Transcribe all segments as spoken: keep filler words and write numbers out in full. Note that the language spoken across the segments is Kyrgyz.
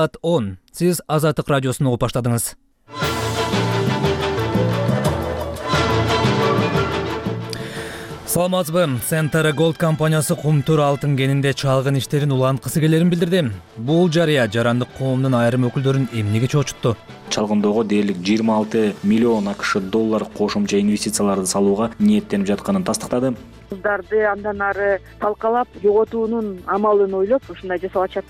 Саат он. Сиз Азаттык радиосун угуп баштадыңыз. Саламатсызбы? Центр Gold компаниясы Кумтур алтын кенинде чалгын иштерин уланткысы келерин билдирди. Бул жарыя жарандык коомдун айрым өкүлдөрүн эмнеге чоочутту? Чалгындоого дээрлик жыйырма алты миллион акш доллар кошумча инвестицияларды салууга ниеттенип жатканын тастыктады. Кыздарды андан ары талкалап, жоготуунун амалын ойлоп ушундай жасап атышат.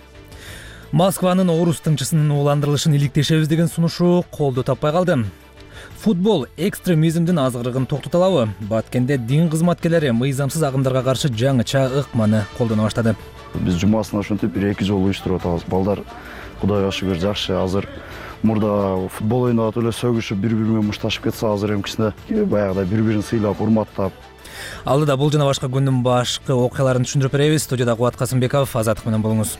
Москванын орус тыңчысынын ууландырылышын иликтешебиз деген сунушу колдоо таппай калды. Футбол экстремизмдин азгырыгын токтото алабы? Баткенде дин кызматкерлери мыйзамсыз агымдарга каршы жаңыча ыкманы колдоно баштады. Биз жумасына ошентип бир эки жолу уюштуруп атабыз. Балдар Кудайга шүгүр жакшы. Азыр мурда футбол ойнап эле сөгүшүп, бири-бири менен мушташып кетсе, азыр эмкисине баягыдай бири-бирин сыйлап, урматтап. Алдыда бул жана башка күндүн башкы окуяларын түшүндүрүп беребиз. Студияда Кубат Касымбеков, Азаттык менен болуңуз.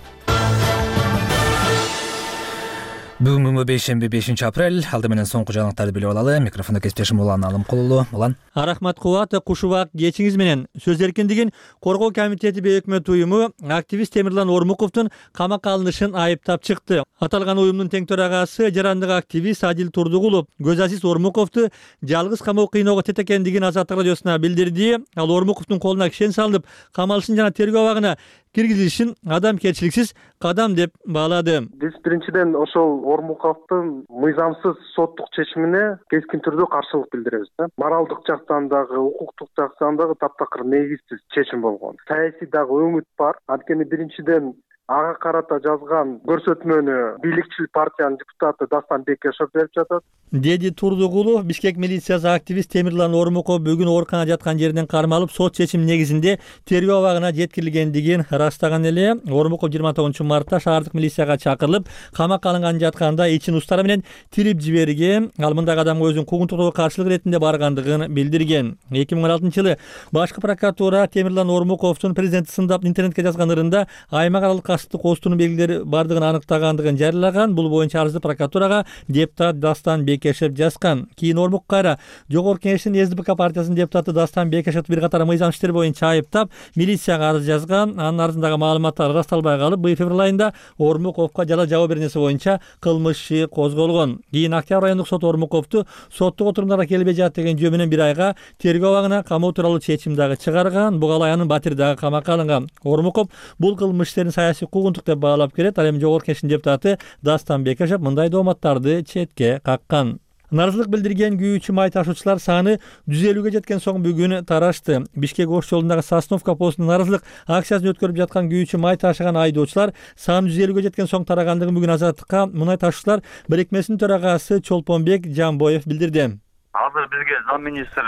Бүгүнкү бейшемби бешинчи апрель. Алды менен соңку жаңылыктарды билип алалы. Микрофондо кесиптешим Улан Алымкулулу. Улан. Рахмат Кубат, кушубак кечиңиз менен. Сөз эркиндигин коргоо комитети бейөкмөт уюму активист Темирлан Ормуковдун камакка алынышын айыптап чыкты. Аталган уюмдун тең төрагасы жарандык активист Адил Турдугулов Көзазиз Ормуковду жалгыз камоо кыйноого тет экендигин Азаттык радиосуна билдирди. Ал Ормуковдун колуна кишен салынып, камалышын жана тергөө абагына киргизилишин адамгерчиликсиз кадам деп баалады. Биз биринчиден ошол Ормуковдун мыйзамсыз соттук чечимине кескин түрдө каршылык билдиребиз. Моралдык жактан дагы, укуктук жактан дагы таптакыр негизсиз чечим болгон. Саясий дагы өңүт бар. Анткени биринчиден ага карата жазган көрсөтмөнү бийликчил партиянын депутаты Дастан Бекешев берип жатат, деди Турдугулов. Бишкек милициясы активист Темирлан Ормуков бүгүн ооруканада жаткан жеринен кармалып, сот чечими негизинде тергөө абагына жеткирилгендигин ырастаган эле. Ормуков жыйырма тогузунчу мартта шаардык милицияга чакырылып, камакка алынган жатканда ичин устары менен тирип жиберген. Ал мындагы адамга өзүнүн куугунтугуна каршылык иретинде баргандыгын билдирген. эки миң он алтынчы жылы башкы прокуратура Темирлан Ормуковдун президентти сындап интернетке жазган ырында аймак аралык касыптык оостуунун белгилери бардыгын аныктагандыгын жарыялаган. Бул боюнча арызды прокуратурага депутат Дастан Бекешев жазган. Кийин Ормук кайра Жогорку Кеңештин СДПК партиясынын депутаты Дастан Бекешев бир катар мыйзам иштери боюнча айыптап, милицияга арыз жазган. Анын арызындагы маалыматтар ырасталбай калып, быйыл февраль айында Ормуковго жала жабуу беренеси боюнча кылмыш иши козголгон. Кийин Октябрь айындык сот Ормуковду соттук отурумдарга келбей жатат деген жөө менен бир айга тергөө абагына камоо тууралуу чечим дагы чыгарган. Буга аянын батири дагы камакка алынган. Ормуков бул кылмыш иштерин саясий куугунтук деп баалап келет. Ал эми Жогорку Кеңештин депутаты Дастан Бекешев мындай дооматтарды четке каккан. Наразылык билдирген күйүүчү май ташуучулар саны жүз элүүгө жеткен соң бүгүн тарашты. Бишкек Ош жолундагы Сосновка постунун наразылык акциясын өткөрүп жаткан күйүүчү май ташыган айдоочулар саны жүз элүүгө жеткен соң тарагандыгын бүгүн Азаттыкка мунай ташуучулар бирикмесинин төрагасы Чолпонбек Жамбоев билдирди. Азыр бизге замминистр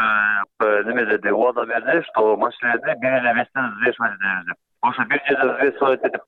неме деди, убада берди, что машиналарды бир эле вестен взвешивать этебиз деп. Ошо бир жерде взвешивать этип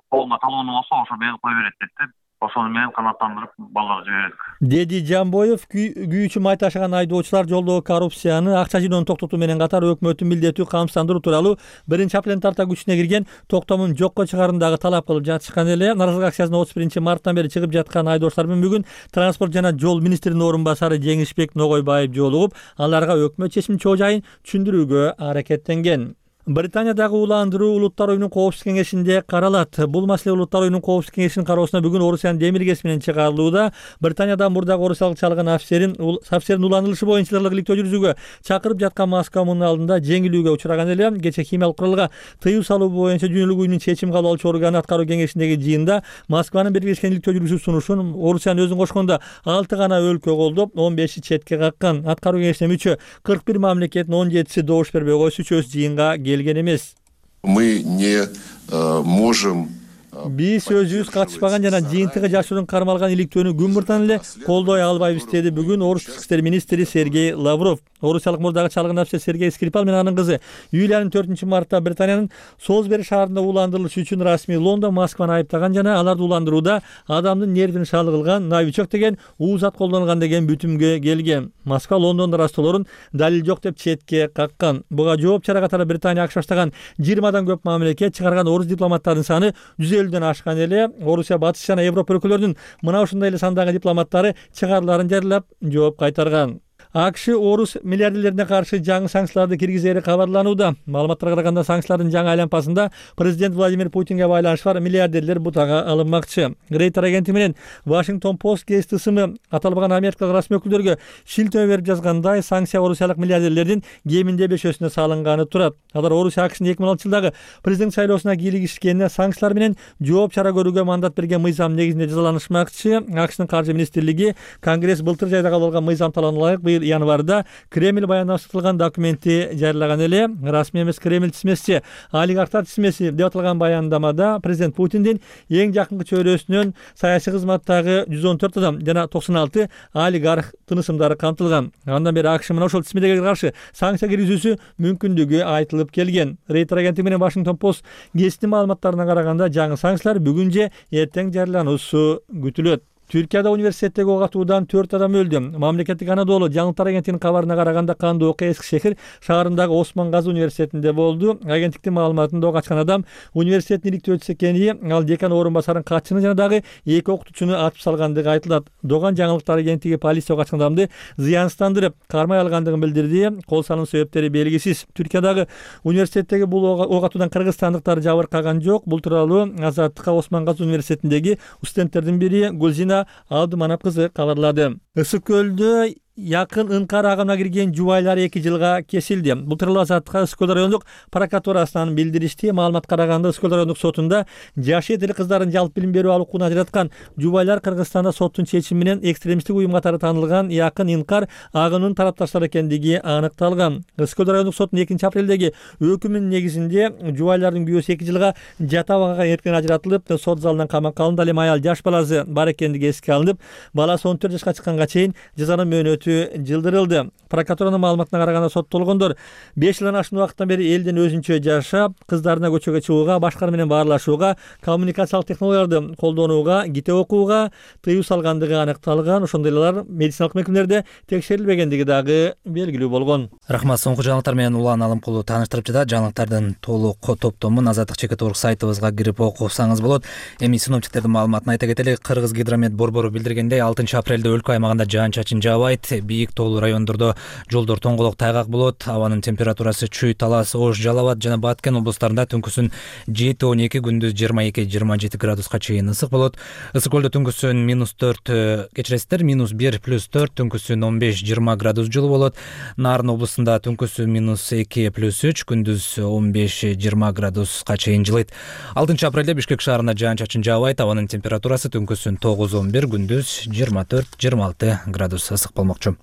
полный талону болсо, ошо берип кое берет деп. Ошону менен канаттандырып балдар жибердик, деди Жамбоев. Күйүүчү май ташыган айдоочулар жолдогу коррупцияны, акча жыйноону токтотуу менен катар өкмөттүн милдеттүү камсыздандыруу тууралуу биринчи апрелден тарта күчүнө кирген токтомун жокко чыгаарын дагы талап кылып жатышкан эле. Наразылык акциясына отуз биринчи марттан бери чыгып жаткан айдоочулар менен бүгүн транспорт жана жол министринин орун басары Жеңишбек Ногойбаев жолугуп, аларга өкмөт чечиминин чоо жайын түшүндүрүүгө аракеттенген. Британиядагы уландыруу Улуттар уюмунун коопсуздук кеңешинде каралат. Бул маселе Улуттар уюмунун коопсуздук кеңешинин кароосуна бүгүн Орусиянын демиргеси менен чыгарылууда. Британияда мурдагы орусиялык чалган офицерин офицердин уландырылышы боюнча ырлык иликтөө жүргүзүүгө чакырып жаткан Москва мунун алдында жеңилүүгө учураган эле. Кечээ химиялык куралга тыюу салуу боюнча Дүйнөлүк уюмдун чечим кабыл алуучу органы аткаруу кеңешиндеги жыйында Москванын биргешкен иликтөө жүргүзүү сунушун Орусиянын өзүн кошкондо алты гана өлкө колдоп, он беши четке каккан. Аткаруу кеңешине мүчө кырк бир мамлекеттин он жетиси добуш бербей койсо, үчөөсү жыйынга келген эмес. Мы не э, можем Биз өзүбүз катышпаган жана жыйынтыгы жашыруун кармалган иликтөөнү күн мурдан эле колдой албайбыз деди бүгүн Орус тышкы иштер министри Сергей Лавров. Орусиялык мурдагы чалгын офицер Сергей Скрипал менен анын кызы Юлиянын төртүнчү мартта Британиянын Солсбери шаарында уландырылышы үчүн расмий Лондон Москваны айыптаган жана аларды уландырууда адамдын нервин шалы кылган новичок деген уу зат колдонулган деген бүтүмгө келген. Москва Лондондун растоолорун далил жок деп четке каккан. Буга жооп чара катары Британия акш баштаган жыйырмадан көп мамлекет чыгарган орус дипломаттарынын саны жүз элүүдөн ашкан эле. Орусия батыш жана Европа өлкөлөрүнүн мына ушундай эле сандагы дипломаттары чыгарыларын жарыялап жооп кайтарган. АКШ орус миллиардерлерине каршы жаңы санкцияларды киргизери кабарланууда. Маалыматтарга караганда санкциялардын жаңы айланпасында президент Владимир Путинге байланышы бар миллиардерлер бутага алынмакчы. Рейтер агенти менен Washington Post гезити ысымы аталбаган америкалык расмий өкүлдөргө шилтөө берип жазгандай, санкция орусиялык миллиардерлердин кеминде бешөөсүнө салынганы турат. Алар Орусия АКШнын эки миң алтынчы жылдагы президент шайлоосуна кийлигишкенине санкциялар менен жооп чара көрүүгө мандат берген мыйзам негизинде жазаланышмакчы. АКШнын каржы министрлиги Конгресс былтыр жайда кабыл алган мыйзам талабына ылайык быйыл январда Кремль баяндамасытылган документти жарыялаган эле. Расмий эмес Кремль тизмеси, олигархтар тизмеси деп аталган баяндамада президент Путиндин эң жакынкы чөйрөсүнөн саясий кызматтагы жүз он төрт адам жана токсон алты олигарх тынысымдары камтылган. Андан бери АКШ мына ошол тизмедеге каршы санкция киргизүүсү мүмкүндүгү айтылып келген. Рейтер агенти менен Washington Post гезитинин маалыматтарына караганда жаңы санкциялар бүгүн же эртең жарыялануусу күтүлөт. Түркияда университеттеги ок атуудан төрт адам өлдү. Мамлекеттик Анадолу жаңылыктар агенттигинин кабарына караганда кандуу окуя Эски шехир шаарындагы Осман Газы университетинде болду. Агенттиктин маалыматында ок ачкан адам университеттин иликтөөчүсү экени, ал декан орун басарын катчыны жана дагы эки окутуучуну атып салгандыгы айтылат. Доган жаңылыктар агенттиги полиция ок ачкан адамды зыянсыздандырып, кармай алгандыгын билдирди. Кол салуу себептери белгисиз. Түркиядагы университеттеги бул ок атуудан кыргызстандыктар жабыркаган жок. Бул тууралуу Азаттыкка Осман Газы университетиндеги студенттердин бири Гулзина Алдыманап кызы кабарлады. Ысык көлдө якын ынкар агымына кирген жубайлар эки жылга кесилди. Бул тууралуу Азаттыкка Ысык көл райондук прокуратурасынан билдиришти. Маалыматка караганда Ысык көл райондук сотунда жаш этили кыздардын жалпы билим берүү алуу укугун ажыраткан жубайлар Кыргызстанда соттун чечими менен экстремисттик уюм катары таанылган якын ынкар агымынын тарапташтары экендиги аныкталган. Ысык көл райондук сотунун экинчи апрелдеги өкүмүнүн негизинде жубайлардын күйөөсү эки жылга жат абагага эркин ажыратылып, сот залынан камакка алынды. Ал эми аял жаш баласы бар экендиги эске алынып, баласы он төрт жашка чыкканга чейин жазанын мөөнөтү жылдырылды. Прокуратуранын маалыматына караганда соттолгондор беш жылдан ашкан убакыттан бери элден өзүнчө жашап, кыздарына көчөгө чыгууга, башкалар менен баарлашууга, коммуникациялык технологияларды колдонууга, китеп окууга тыюу салгандыгы аныкталган. Ошондой эле алар медициналык мекемелерде текшерилбегендиги дагы белгилүү болгон. Рахмат, соңку жаңылыктар менен Улан Алымкулу тааныштырып жатат. Жаңылыктардын толук топтомун Азаттык чекит орг сайтыбызга кирип окусаңыз болот. Эми синоптиктердин маалыматын айта кетели. Кыргыз гидромет борбору билдиргендей, алтынчы апрелде өлкө аймагында жаан-чачын жаабайт. Бийик тоолуу райондордо жолдор тоңголок тайгак болот. Абанын температурасы Чүй, Талас, Ош, Жалал абад жана Баткен облустарында түнкүсүн жети он эки, күндүз жыйырма эки жыйырма жети градуска чейин ысык болот. Ысык көлдө түнкүсүн минус төрт, кечиресиздер, минус бир плюс төрт, түнкүсүн он беш жыйырма градус жылуу болот. Нарын облусунда түнкүсүн минус эки плюс үч, күндүз он беш жыйырма градуска чейин жылыйт. алтынчы апрелде Бишкек шаарында жаан-чачын жаабайт. Абанын температурасы түнкүсүн тогуз он бир, күндүз жыйырма төрт жыйырма алты градус ысык болмокчу.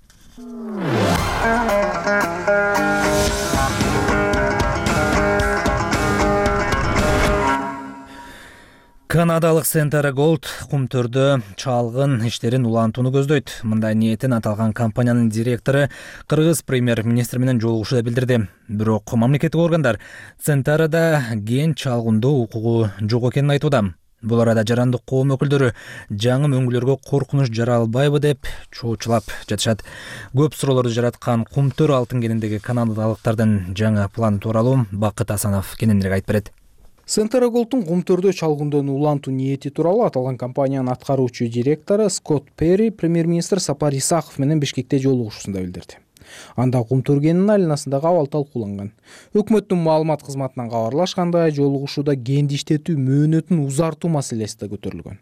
Канадалык Centara Gold кумтөрдө чалгын иштерин улантууну көздөйт. Мындай ниетин аталган компаниянын директору кыргыз премьер-министри менен жолугушууда билдирди. Бирок мамлекеттик органдар Centara'да ген чалгындоо укугу жок экенин айтууда. Бул арада жарандык коом өкүлдөрү жаңы мөңгүлөргө коркунуч жаралбайбы деп чоочулап жатышат. Көп суроолорду жараткан кумтөр алтын кениндеги канадалыктардын жаңы планы тууралуу Бакыт Асанов кененирээк айтып берет. Centara Gold'ун кумтөрдө чалгындоону улантуу ниети тууралуу аталган компаниянын аткаруучу директору Скотт Перри премьер-министр Сапар Исаков менен Бишкекте жолугушуусунда билдирди. Анда кумтөр кенинин айланасындагы абал талкууланган. Өкмөттүн маалымат кызматынан кабарлашкандай, жолугушууда кенди иштетүү мөөнөтүн узартуу маселеси да көтөрүлгөн.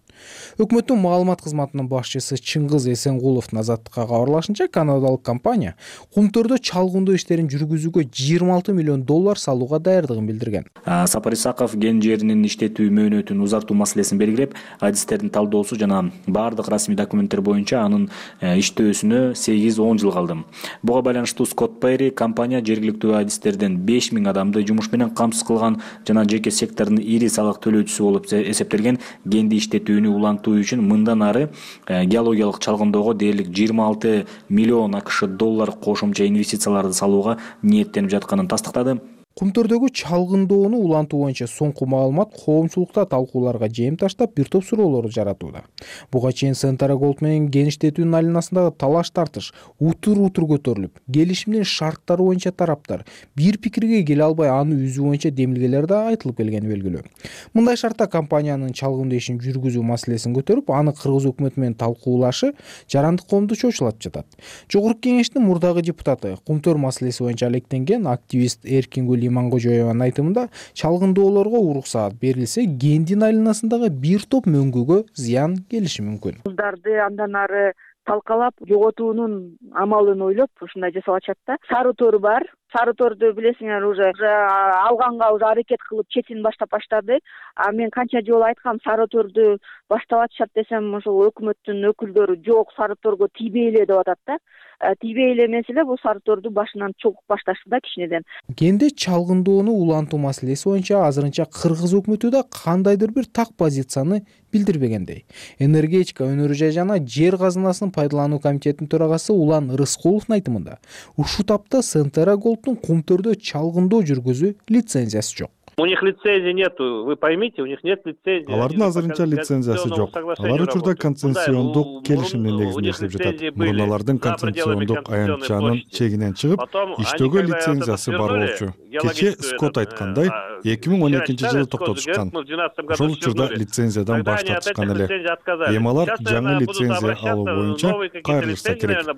Өкмөттүн маалымат кызматынын башчысы Чыңгыз Эсенгуловдун Азаттыкка кабарлашынча, канадалык компания кумтөрдө чалгындоо иштерин жүргүзүүгө жыйырма алты миллион доллар салууга даярдыгын билдирген. Сапар Исаков кен жеринин иштетүү мөөнөтүн узартуу маселесин белгилеп, адистердин талдоосу жана баардык расмий документтер боюнча анын иштөөсүнө сегиз он жыл калды. Буга байланыштуу Скотт Перри компания жергиликтүү адистерден беш миң адамды жумуш менен камсыз кылган жана жеке сектордун ири салык төлөөчүсү болуп эсептелген кенди иштетүүнү улантуу үчүн мындан ары геологиялык чалгындоого дээрлик жыйырма алты миллион АКШ доллар кошумча инвестицияларды салууга ниеттенип жатканын тастыктады. Кумтөрдөгү чалгындоону улантуу боюнча соңку маалымат коомчулукта талкууларга жем таштап бир топ суроолорду жаратууда. Буга чейин Centara Gold менен геништетүүнүн айланасындагы талаш тартыш утур утур көтөрүлүп, келишимдин шарттары боюнча тараптар бир пикирге келе албай аны үзүү боюнча демилгелер да айтылып келгени белгилүү. Мындай шартта компаниянын чалгындоо ишин жүргүзүү маселесин көтөрүп, аны кыргыз өкмөтү менен талкуулашы жарандык коомду чочулатып жатат. Жогорку кеңештин мурдагы депутаты, Кумтөр маселеси боюнча алектенген активист Эркингүл Имангожоеванын айтымында, чалгындоолорго уруксаат берилсе, кендин айланасындагы бир топ мөңгүгө зыян келиши мүмкүн. Кыздарды андан ары талкалап жоготуунун амалын ойлоп ушундай жасап атышат да. Сары тор бар. Сары торду билесиңер, уже алганга уже аракет кылып четин баштап баштады. А мен канча жолу айткам, сары торду баштап атышат десем, ошол өкмөттүн өкүлдөрү жок, сары торго тийбейле деп атат да. Тийбейле эмес эле, бул сары торду башынан чогуп башташты да кичинеден. Кенде чалгындоону улантуу маселеси боюнча азырынча кыргыз өкмөтү да кандайдыр бир так позицияны билдирбегендей. Энергетика өнөрү жана жер казынасынын пайдалануу комитетинин төрагасы Улан Рыскуловдун айтымында, ушул тапта Centara Gold'ун Кумтөрдө чалгындоо жүргүзүү лицензиясы жок. У них лицензии нету, вы поймите, у них нет лицензии. Алардын азырынча лицензиясы жок. Алар учурда концессиондук келишимдин негизинде иштеп жатат. Мурун алардын концессиондук аянтчанын чегинен чыгып, иштөөгө лицензиясы бар болчу. Кечээ Скот айткандай, эки миң он экинчи жылы токтотушкан. Ошол учурда лицензиядан баш тартышкан эле. Эми алар жаңы лицензия алуу боюнча кайрылышса керек.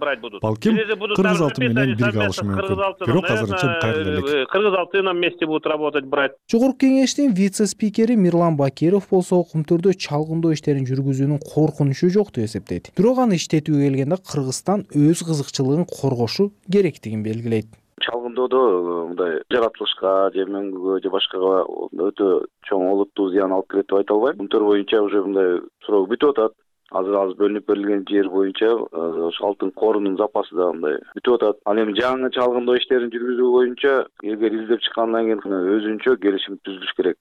Балким Кыргыз Алты менен бирге алышы мүмкүн. Бирок азырынча кайрыла элек. Кыргыз Алты менен вместе будут работать, брать. Жогорку кеңештин вице-спикери Мирлан Бакиров болсо Кумтөрдө чалгындоо иштерин жүргүзүүнүн коркунучу жок деп эсептейт. Бирок аны иштетүүгө келгенде Кыргызстан өз кызыкчылыгын коргошу керектигин белгилейт. Чалгындоодо мындай жаратылышка же мөңгүгө же башкага өтө чоң олуттуу зыян алып келет деп айта албайм. Кумтөр боюнча уже мындай суроо бүтүп атат. Азыр азыр бөлүнүп берилген жер боюнча ошо алтын корунун запасы да мындай бүтүп атат. Ал эми жаңы чалгындоо иштерин жүргүзүү боюнча эгер издеп чыккандан кийин өзүнчө келишим түзүлүш керек.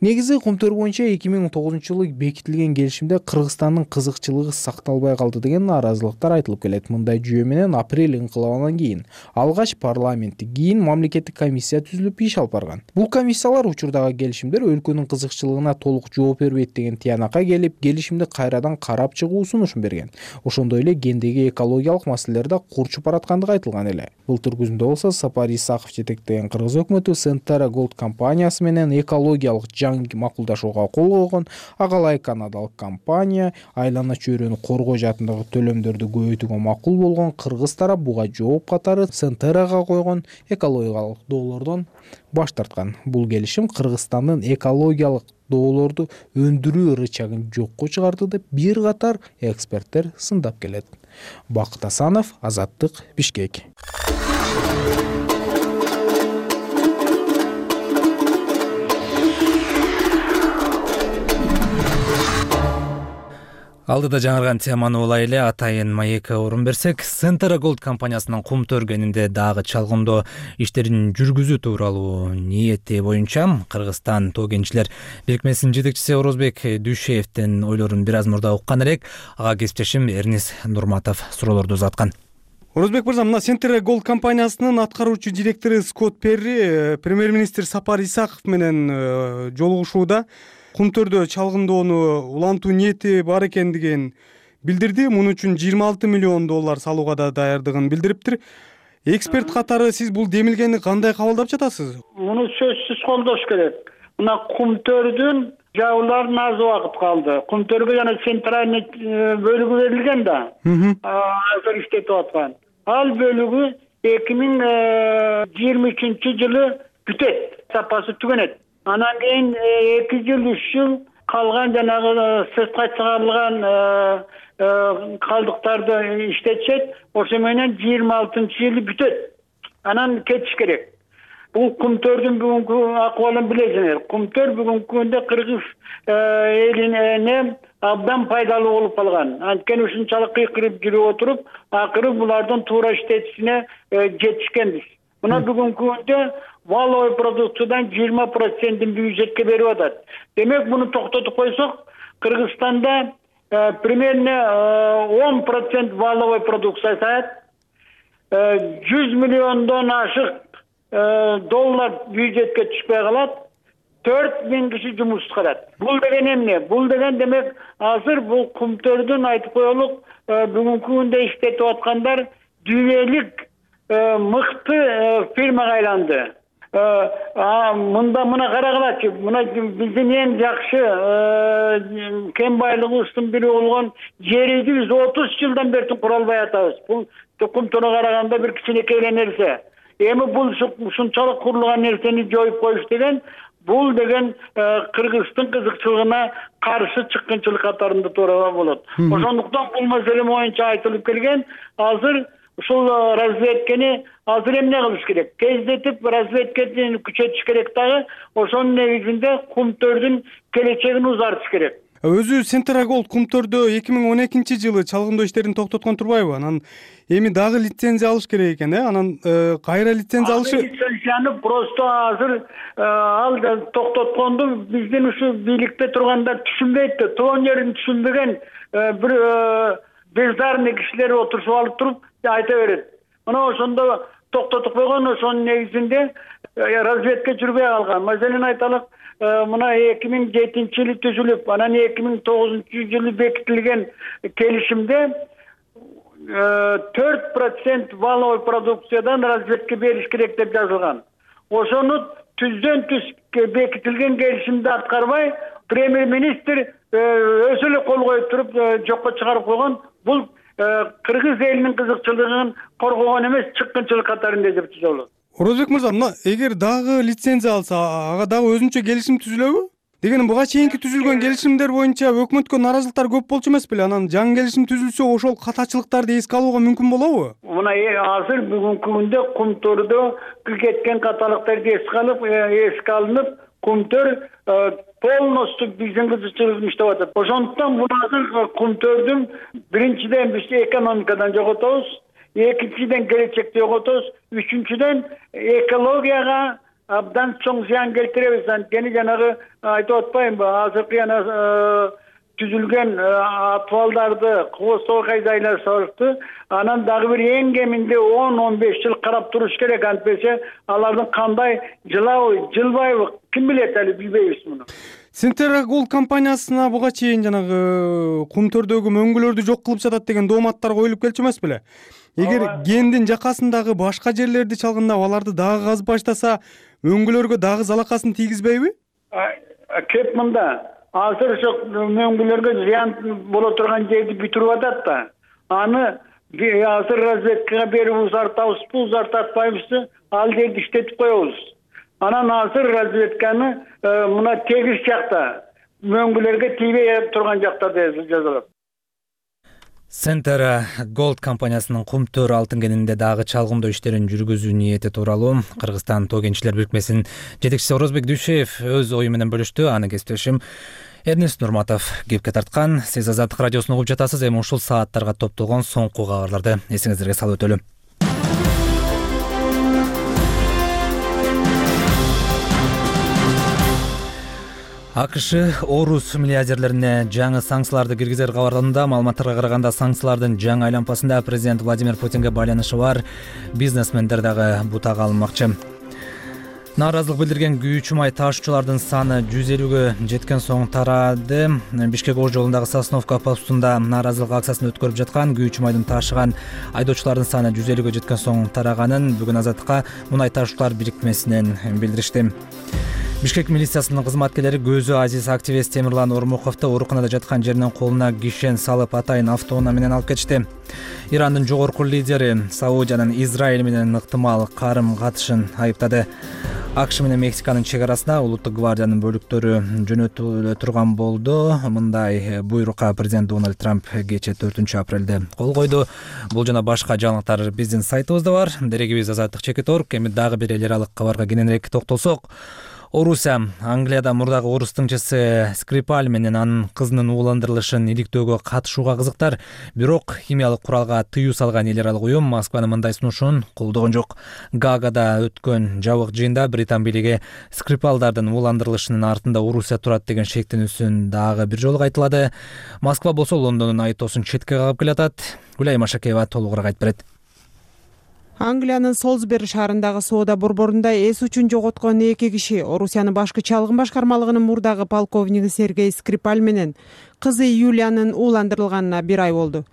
Негизи Кумтөр боюнча эки миң он тогузунчу жылы бекитилген келишимде Кыргызстандын кызыкчылыгы сакталбай калды деген нааразылыктар айтылып келет. Мындай жүйө менен апрель инкылабынан кийин алгач парламентти, кийин мамлекеттик комиссия түзүлүп иш алып барган. Бул комиссиялар учурдагы келишимдер өлкөнүн кызыкчылыгына толук жооп бербейт деген тыянакка келип, келишимди кайрадан карап чыгуу сунушун берген. Ошондой эле кендеги экологиялык маселелер да курчуп бараткандыгы айтылган эле. Былтыр күзүндө болсо Сапар Исаков жетектеген Кыргыз өкмөтү Centara Gold компаниясы менен экологиялык жаңы макулдашууга кол койгон. Ага ылайык канадалык компания айлана чөйрөнү коргоо жаатындагы төлөмдөрдү көбөйтүүгө макул болгон. Кыргыз тарап буга жооп катары Centara'га койгон экологиялык доолордон баш тарткан. Бул келишим Кыргызстандын экологиялык доолорду өндүрүү рычагын жокко чыгарды деп бир катар эксперттер сындап келет. Бакыт Асанов, Азаттык, Бишкек. Алдыда жаңырган теманы улай эле атайын маекке орун берсек, Centara Gold компаниясынын Кумтөр кенинде дагы чалгындоо иштерин жүргүзүү тууралуу ниети боюнча Кыргызстан тоо кенчилер бирикмесинин жетекчиси Орозбек Дүйшеевдин ойлорун бир аз мурда уккан элек. Ага кесиптешим Эрнис Нурматов суроолорду узаткан. Орозбек мырза, мына Centara Gold компаниясынын аткаруучу директору Скот Перри премьер-министр Сапар Исаков менен жолугушууда Кумтөрдө чалгындоону улантуу ниети бар экендигин билдирди. Муну үчүн жыйырма алты миллион доллар салууга да даярдыгын билдириптир. Эксперт катары сиз бул демилгени кандай кабылдап жатасыз? Муну сөзсүз колдош керек. Мына Кумтөрдүн жабыларына аз убакыт калды. Кумтөргө жана центральный бөлүгү берилген да. Азыр иштетип аткан. Ал бөлүгү эки миң жыйырма үчүнчү жылы бүтөт, сапасы түгөнөт. Анан кийин эки жыл, үч жыл калган жанагы сыртка чыгарылган калдыктарды иштетишет. Ошо менен жыйырма алтынчы жылы бүтөт. Анан кетиш керек. Бул Кумтөрдүн бүгүнкү акыбалын билесиңер. Кумтөр бүгүнкү күндө Кыргыз элине абдан пайдалуу болуп калган. Анткени ушунчалык кыйкырып жүрүп отуруп, акыры булардын туура иштетишине жетишкенбиз. Мына бүгүнкү күндө валовый продукциядан жыйырма процентин бюджетке берип атат. Демек, буну токтотуп койсок, Кыргызстанда примерно он процент валовый продукция саат, жүз миллиондон ашык доллар бюджетке түшпөй калат, төрт миң киши жумуш кылат. Бул деген эмне? Бул деген демек азыр бул кумтөрдүн айтып коелук бүгүнкү күндө иштетип аткандар дүйнөлүк мыкты фирмага айланды. Мында мына карагылачы, мына биздин эң жакшы кен байлыгыбыздын бири болгон жерди биз отуз жылдан бери кура албай атабыз. Бул кумтөргө караганда бир кичинекей эле нерсе. Эми бул ушунчалык курулган нерсени жоюп коюш деген бул деген Кыргыздын кызыкчылыгына каршы чыккынчылык катарында турууга болот. Ошондуктан бул маселе боюнча айтылып келген. Азыр ушул разведкени азыр эмне кылыш керек? Тездетип разведкени күчөтүш керек дагы. Ошонун негизинде кумтөрдүн келечегин узартыш керек. Өзү Центра Gold кумтөрдө эки миң он экинчи жылы чалгындоо иштерин токтоткон турбайбы? Анан эми дагы лицензия алыш керек экен, э? Анан кайра лицензия алышы? Лицензияны просто азыр ал токтотконду биздин ушу бийликте тургандар түшүнбөйт да, тоон жерин түшүнбөгөн бир бездарный кишилер отурушуп алып туруп айта берет. Мына ошондо токтотуп койгон, ошонун негизинде разведка жүрбөй калган. Маселен айталык, мына эки миң жетинчи жылы түзүлүп, анан эки миң тогузунчу жылы бекитилген келишимде төрт процент валовый продукциядан разведка бериш керек деп жазылган. Ошону түздөн түз бекитилген келишимди аткарбай, премьер-министр өзү эле кол коюп туруп жокко чыгарып койгон. Бул Кыргыз элинин кызыкчылыгын коргогон эмес, чыккынчылык катарында деп түзөлөт. Орозбек мырза, мына эгер дагы лицензия алса, ага дагы өзүнчө келишим түзүлөбү? Дегеним буга чейинки түзүлгөн келишимдер боюнча өкмөткө наразылыктар көп болчу эмес беле? Анан жаңы келишим түзүлсө, ошол катачылыктарды эске алууга мүмкүн болобу? Мына азыр бүгүнкү күндө кумтөрдө кеткен каталыктарды эске алып, эске алынып, кумтөр полностью биздин кызыкчылыгын иштеп атат. Ошондуктан бул азыр кумтөрдүн биринчиден биз экономикадан жоготобуз, экинчиден келечекти жоготобуз, үчүнчүдөн экологияга абдан чоң зыян келтиребиз. Анткени жанагы айтып атпаймынбы, азыркы жана түзүлгөн атыбалдарды кооздоо кайдайлар сорупты. Анан дагы бир эң кеминде он он беш жыл карап туруш керек. Антпесе алардын кандай жылабы, жылбайбы, ким билет, али билбейбиз муну. Центра Gold компаниясына буга чейин жанагы кумтөрдөгү мөңгүлөрдү жок кылып жатат деген дооматтар коюлуп келчү эмес беле? Эгер кендин жакасындагы башка жерлерди чалгындап, аларды дагы казып баштаса, мөңгүлөргө дагы залакасын тийгизбейби? Кеп мында азыр ошо мөңгүлөргө зыян боло турган жерди бүтүрүп атат да. Аны азыр разведкага берип узартабызбы, узартатпайбызбы, ал жерди иштетип коебуз. Анан азыр разведканы мына тегиз жакта, мөңгүлөргө тийбей турган жактарда жазылат. Центра Gold компаниясынын кумтөр алтын кенинде дагы чалгындоо иштерин жүргүзүү ниети тууралуу Кыргызстан тоо кенчилер бирикмесинин жетекчиси Орозбек Дүйшеев өз ою менен бөлүштү. Аны кесиптешим Эрнест Нурматов кепке тарткан. Сиз Азаттык радиосун угуп жатасыз. Эми ушул сааттарга топтолгон соңку кабарларды эсиңиздерге салып өтөлү. АКШ орус миллиардерлерине жаңы санкцияларды киргизер кабарланууда. Маалыматтарга караганда санкциялардын жаңы айлампасында президент Владимир Путинге байланышы бар бизнесмендер дагы бутак алынмакчы. Нааразылык билдирген күйүүчү май ташуучулардын саны жүз элүүгө жеткен соң тарады. Бишкек Ош жолундагы Сосновка постунда нааразылык акциясын өткөрүп жаткан күйүүчү майдын ташыган айдоочулардын саны жүз элүүгө жеткен соң тараганын бүгүн Азаттыкка мунай ташуучулар бирикмесинен билдиришти. Бишкек милициясынын кызматкерлери көзү азиз активист Темирлан Ормуковду ооруканада жаткан жеринен колуна кишен салып атайын автоунаа менен алып кетишти. Ирандын жогорку лидери Саудиянын Израиль менен ыктымал карым катышын айыптады. АКШ менен Мексиканын чек арасына улуттук гвардиянын бөлүктөрү жөнөтүлө турган болду. Мындай буйрукка президент Дональд Трамп кечээ төртүнчү апрелде кол койду. Бул жана башка жаңылыктар биздин сайтыбызда бар. Дерегибиз Азаттык чекит орг. Эми дагы бир эл аралык кабарга кененирээк токтолсок, Орусия Англияда мурдагы орус тыңчысы Скрипаль менен анын кызынын ууландырылышын иликтөөгө катышууга кызыктар. Бирок химиялык куралга тыюу салган эл аралык уюм Москванын мындай сунушун колдогон жок. Гаагада өткөн жабык жыйында Британ бийлиги Скрипалдардын ууландырылышынын артында Орусия турат деген шектенүүсүн дагы бир жолу кайталады. Москва болсо Лондондун айтоосун четке кагып келатат. Гүлай Машакеева толугураак айтып берет. Англиянын Солсбери шаарындагы соода борборунда эс учун жоготкон эки киши Орусиянын башкы чалгын башкармалыгынын мурдагы полковниги Сергей Скрипаль менен кызы Юлиянын ууландырылганына бир ай болду.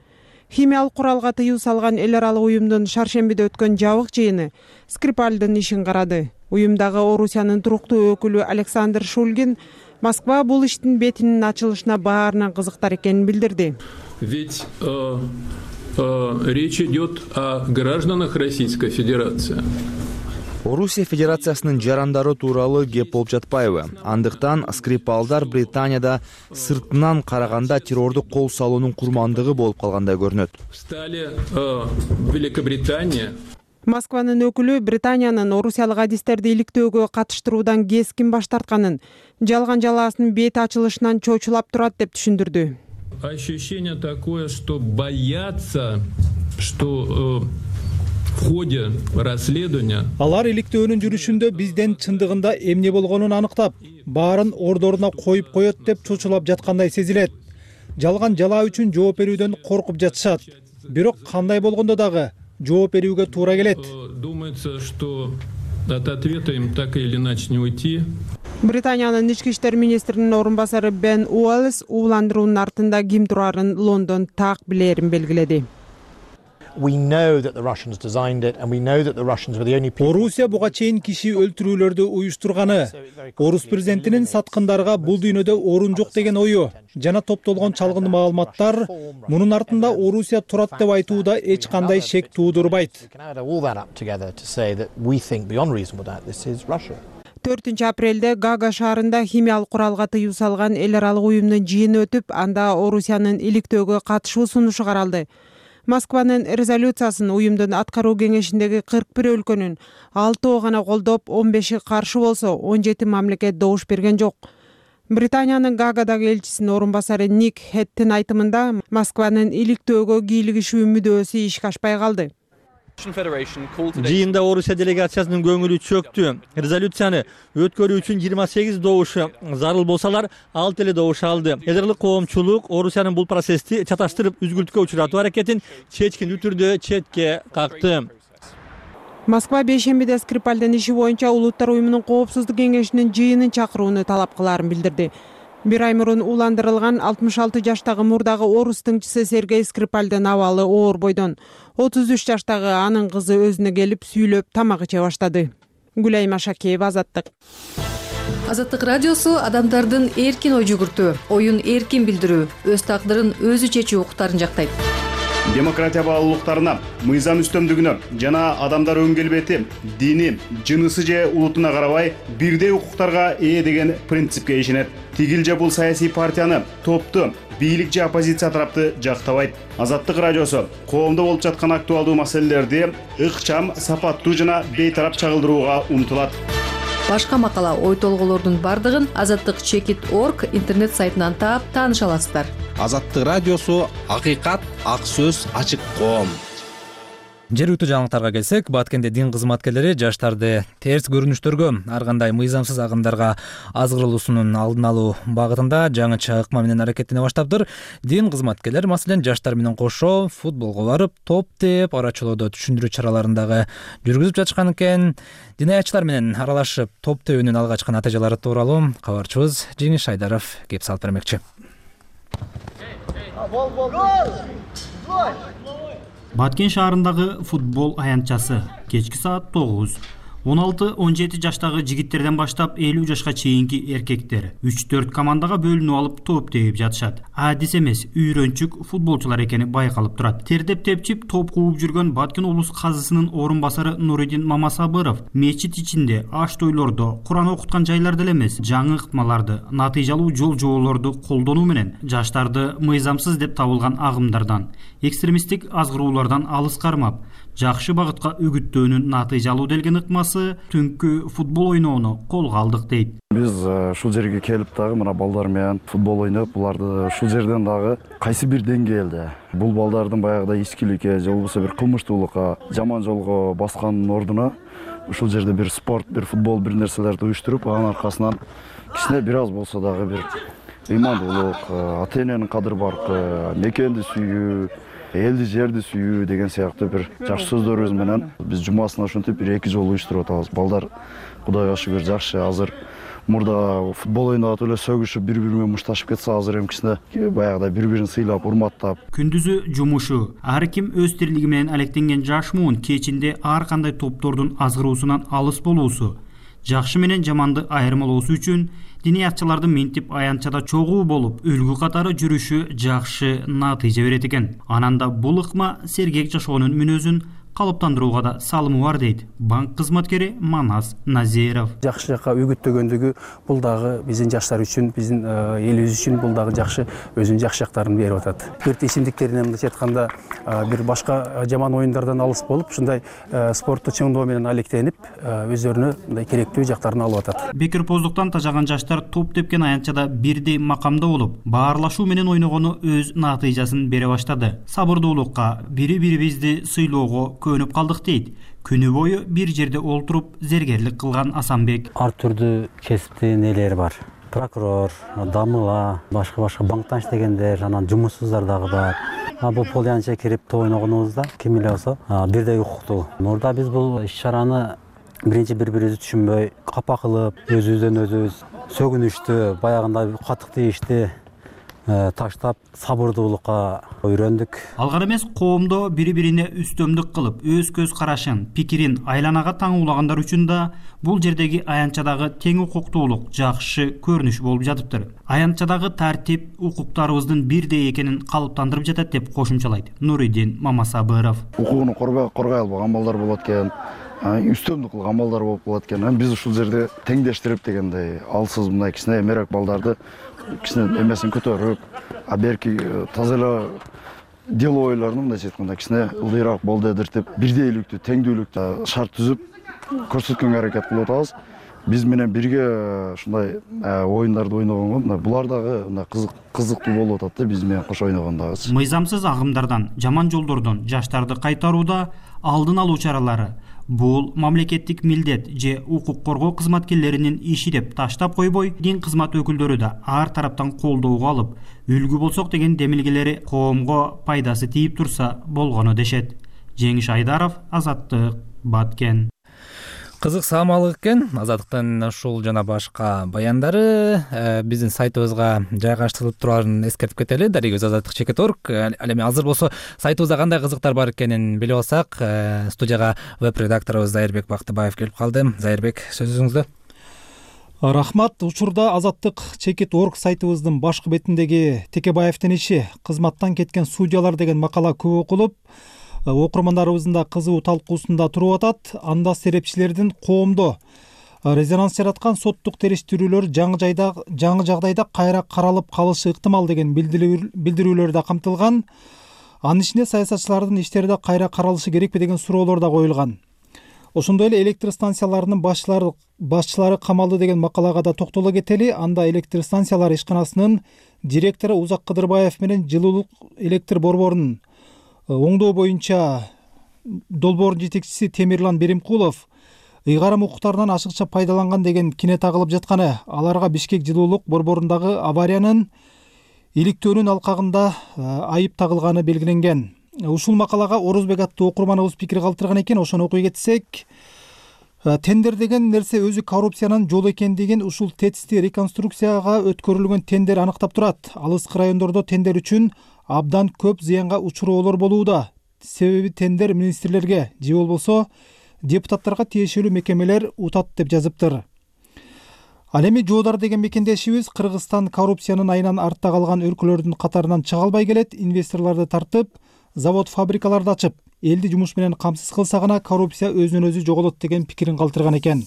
Химиялык куралга тыюу салган эл аралык уюмдун шаршембиде өткөн жабык жыйыны Скрипальдын ишин карады. Уюмдагы Орусиянын туруктуу өкүлү Александр Шульгин Москва бул иштин бетинин ачылышына баарынан кызыктар экенин билдирди. Ведь э, э, речь идет о гражданах Российской Федерации. Орусия Федерациясынын жарандары тууралуу кеп болуп жатпайбы? Андыктан Скрипалдар Британияда сыртынан караганда террордук кол салуунун курмандыгы болуп калгандай көрүнөт. Стали э, Великобритания. Москванын өкүлү Британиянын орусиялык адистерди иликтөөгө катыштыруудан кескин баш тартканын, жалган жалаасынын бети ачылышынан чочулап турат деп түшүндүрдү. Ощущение такое, что боятся, что э, в ходе расследования алар иликтөөнүн жүрүшүндө бизден чындыгында эмне болгонун аныктап, баарын ордоруна коюп коет деп чочулап жаткандай сезилет. Жалган жалаа үчүн жооп берүүдөн коркуп жатышат. Бирок кандай болгондо дагы жооп берүүгө туура келет. Думается, что от ответа им так или иначе не уйти. Британиянын ички иштер министринин орун басары Бен Уоллес ууландыруунун артында ким турарын Лондон так билерин белгиледи. Орусия буга чейин киши өлтүрүүлөрдү уюштурганы, орус президентинин саткындарга бул дүйнөдө орун жок деген ою жана топтолгон чалгын маалыматтар мунун артында Орусия турат деп айтууда эч кандай шек туудурбайт. төртүнчү апрелде Гага шаарында химиялык куралга тыюу салган эл аралык уюмдун жыйыны өтүп, анда Орусиянын иликтөөгө катышуу сунушу каралды. Москванын резолюциясын уюмдун аткаруу кеңешиндеги кырк бир өлкөнүн алтоо гана колдоп, он беши каршы болсо, он жети мамлекет добуш берген жок. Британиянын Гагадагы элчисинин орун басары Ник Хеттин айтымында Москванын иликтөөгө кийлигишүү мүдөөсү ишке ашпай калды. Жыйында Орусия делегациясынын көңүлү чөктү. Резолюцияны өткөрүү үчүн жыйырма сегиз добуш зарыл болсалар, алты эле добуш алды. Эдерлик коомчулук Орусиянын бул процессти чаташтырып үзгүлтүккө учуратуу аракетин чечкин түрдө четке какты. Москва бейшембиде Скрипальдын иши боюнча Улуттар уюмунун коопсуздук кеңешинин жыйынын чакырууну талап кылаарын билдирди. Бир ай мурун ууландырылган алтымыш алты жаштагы мурдагы орус тыңчысы Сергей Скрипальдын абалы оор бойдон. отуз үч жаштагы анын кызы өзүнө келип сүйлөп тамак иче баштады. Гүлайым Ашакеева, Азаттык. Азаттык радиосу адамдардын эркин ой жүгүртүү, оюн эркин билдирүү, өз тагдырын өзү чечүү укуктарын жактайт. Демократия баалуулуктарына, мыйзам үстөмдүгүнө жана адамдар өн келбети, дини, жынысы же улутуна карабай бирдей укуктарга ээ деген принципке ишенет. Тигил же бул саясий партияны, топту, бийлик же оппозиция тарапты жактабайт. Азаттык радиосу коомдо болуп жаткан актуалдуу маселелерди ыкчам, сапаттуу жана бейтарап чагылдырууга умтулат. Башка макала, ой толгоолордун бардыгын азаттык чекит точка орг интернет сайтынан таап тааныша аласыздар. Азаттык радиосу акыйкат, ак сөз, ачык коом. Жергиликтүү жаңылыктарга келсек, Баткенде дин кызматкерлери жаштарды терс көрүнүштөргө, ар кандай мыйзамсыз агымдарга азгырылуусунун алдын алуу багытында жаңыча ыкма менен аракеттене баштаптыр. Дин кызматкерлери маселен жаштар менен кошо футболго барып, топ теп, арачылоодо түшүндүрүү чараларын дагы жүргүзүп жатышкан экен. Динаятчылар менен аралашып, топ тебүүнүн алгачкы натыйжалары тууралуу кабарчыбыз Жеңиш Айдаров кеп салып бермекчи. Баткен шаарындагы футбол аянтчасы кечки саат тогуз. он алты он жети жаштагы жигиттерден баштап элүү жашка чейинки эркектер үч төрт командага бөлүнүп алып топ терип жатышат. Адис эмес, үйрөнчүк футболчулар экени байкалып турат. Тердеп тепчип топ кууп жүргөн Баткен облус казысынын орун басары Нуридин Мамасабыров мечит ичинде, аш тойлордо, Куран окуткан жайларда эле эмес, жаңы ыкмаларды, натыйжалуу жол жоболорду колдонуу менен жаштарды мыйзамсыз деп табылган агымдардан, экстремисттик азгыроолордон алыс кармап, жакшы багытка үгүттөөнүн натыйжалуу делген ыкмасы түнкү футбол ойноону колго алдык дейт. Биз ушул жерге келип дагы мына балдар менен футбол ойноп, буларды ушул жерден дагы кайсы бир деңгээлде бул балдардын баягыдай ичкиликке же болбосо бир кылмыштуулукка, жаман жолго баскандын ордуна ушул жерде бир спорт, бир футбол, бир нерселерди уюштуруп, анын аркасынан кичине бир аз болсо дагы бир ыймандуулук, ата эненин кадыр баркы, мекенди сүйүү, элди жерди сүйүү деген сыяктуу бир жакшы сөздөрүбүз менен биз жумасын ошентип бир эки жолу уюштуруп атабыз. Балдар Кудайга шүгүр жакшы. Азыр мурда футбол ойнап эле сөгүшүп бири бири менен мушташып кетсе, азыр эмкисине баягыдай бири бирин сыйлап, урматтап. Күндүзү жумушу, ар ким өз тирилиги менен алектенген жаш муун кечинде ар кандай топтордун азгыруусунан алыс болуусу, жакшы менен жаманды айырмалоосу үчүн диниятчылардын минтип аянтчада чогуу болуп, үлгү катары жүрүшү жакшы натыйжа берет экен. Ананда бул ыкма сергек жашоонун мүнөзүн калыптандырууга да салымы бар дейт банк кызматкери Манас Назиров. Жакшы жакка үгүттөгөндүгү бул дагы биздин жаштар үчүн, биздин элибиз үчүн бул дагы жакшы өзүнүн жакшы жактарын берип атат. Спорт ичимдиктеринен мындайча айтканда бир башка жаман оюндардан алыс болуп, ушундай спортту чыңдоо менен алектенип, өздөрүнө мындай керектүү жактарын алып атат. Бекерпоздуктан тажаган жаштар топ тепкен аянтчада бирдей макамда болуп, баарлашуу менен ойногону өз натыйжасын бере баштады. Сабырдуулукка, бири-бирибизди сыйлоого көнүп калдык дейт. Күнү бою бир жерде олтуруп зергерлик кылган Асанбек. Ар түрдүү кесиптин ээлери бар. Прокурор, дамыла, башка-башка банктан иштегендер, анан жумушсуздар дагы бар. Бул полянча кирип топ ойногонубузда ким эле болсо бирдей укуктуу. Мурда биз бул иш-чараны биринчи бири-бирибизди түшүнбөй, капа кылып, өзүбүздөн өзүбүз сөгүнүштү, баягындай катык тийишти таштап сабырдуулукка үйрөндүк. Алгар эмес коомдо бири-бирине үстөмдүк кылып, өз көз карашын, пикирин айланага таңуулагандар үчүн да бул жердеги аянтчадагы тең укуктуулук жакшы көрүнүш болуп жатыптыр. Аянтчадагы тартип укуктарыбыздын бирдей экенин калыптандырып жатат деп кошумчалайт Нуридин Мамасабыров. Укугун коргой албаган балдар болот экен, үстөмдүк кылган балдар болуп калат экен. Биз ушул жерде теңдештирип дегендей, алсыз мындай кичине эмерээк балдарды кичине эмесин көтөрүп, а берки таза эле дело ойлорун мындайча айтканда кичине ылдыйраак болду эдиртип, бирдейликтүү, теңдүүлүктү шарт түзүп көрсөткөнгө аракет кылып атабыз. Биз менен бирге ушундай оюндарды ойногонго мына булар дагы мына кызык кызыктуу болуп атат да, биз менен кошо ойногондагы. Мыйзамсыз агымдардан, жаман жолдордон жаштарды кайтарууда алдын алуу чаралары бул мамлекеттик милдет же укук коргоо кызматкерлеринин иши деп таштап койбой, дин кызмат өкүлдөрү да ар тараптан колдоого алып, үлгү болсок деген демилгелери коомго пайдасы тийип турса болгону дешет. Жеңиш Айдаров, Азаттык, Баткен. Кызык саамалык экен. Азаттыктын ушул жана башка баяндары биздин сайтыбызга жайгаштырылып турарын эскертип кетели. Дарегөз азаттык чекит точка орг. Ал эми азыр болсо сайтыбызда кандай кызыктар бар экенин билип алсак, студияга веб-редакторубуз Зайырбек Бактыбаев келип калды. Зайырбек, сөзүңүздө. Рахмат. Учурда азаттык чекит точка орг сайтыбыздын башкы бетиндеги Текебаевдин иши кызматтан кеткен судьялар деген макала көп окулуп, окурмандарыбыздын да кызуу талкуусунда туруп атат. Анда серепчилердин коомдо резонанс жараткан соттук териштирүүлөр жаңы жайда жаңы жагдайда кайра каралып калышы ыктымал деген билдирүүлөр да камтылган. Анын ичинде саясатчылардын иштери да кайра каралышы керекпи деген суроолор да коюлган. Ошондой эле электр станцияларынын башчылары башчылары камалды деген макалага да токтоло кетели. Анда электр станциялары ишканасынын директору Узак Кыдырбаев менен жылуулук электр борборунун оңдоо боюнча долбоордун жетекчиси Темирлан Беримкулов ыйгарым укуктарынан ашыкча пайдаланган деген кине тагылып жатканы, аларга Бишкек жылуулук борборундагы авариянын иликтөөнүн алкагында айып тагылганы белгиленген. Ушул макалага Орузбек аттуу окурманыбыз пикир калтырган экен. Ошону окуй кетсек, тендер деген нерсе өзү коррупциянын жолу экендигин ушул ТЭЦти реконструкцияга өткөрүлгөн тендер аныктап турат. Алыскы райондордо тендер үчүн абдан көп зыянга учуроолор болууда. Себеби тендер министрлерге же болбосо депутаттарга тиешелүү мекемелер утат деп жазыптыр. Ал эми Жоодар деген мекендешибиз Кыргызстан коррупциянын айынан артта калган өлкөлөрдүн катарынан чыга албай келет. Инвесторлорду тартып, завод фабрикаларды ачып, элди жумуш менен камсыз кылса гана коррупция өзүнөн өзү жоголот деген пикирин калтырган экен.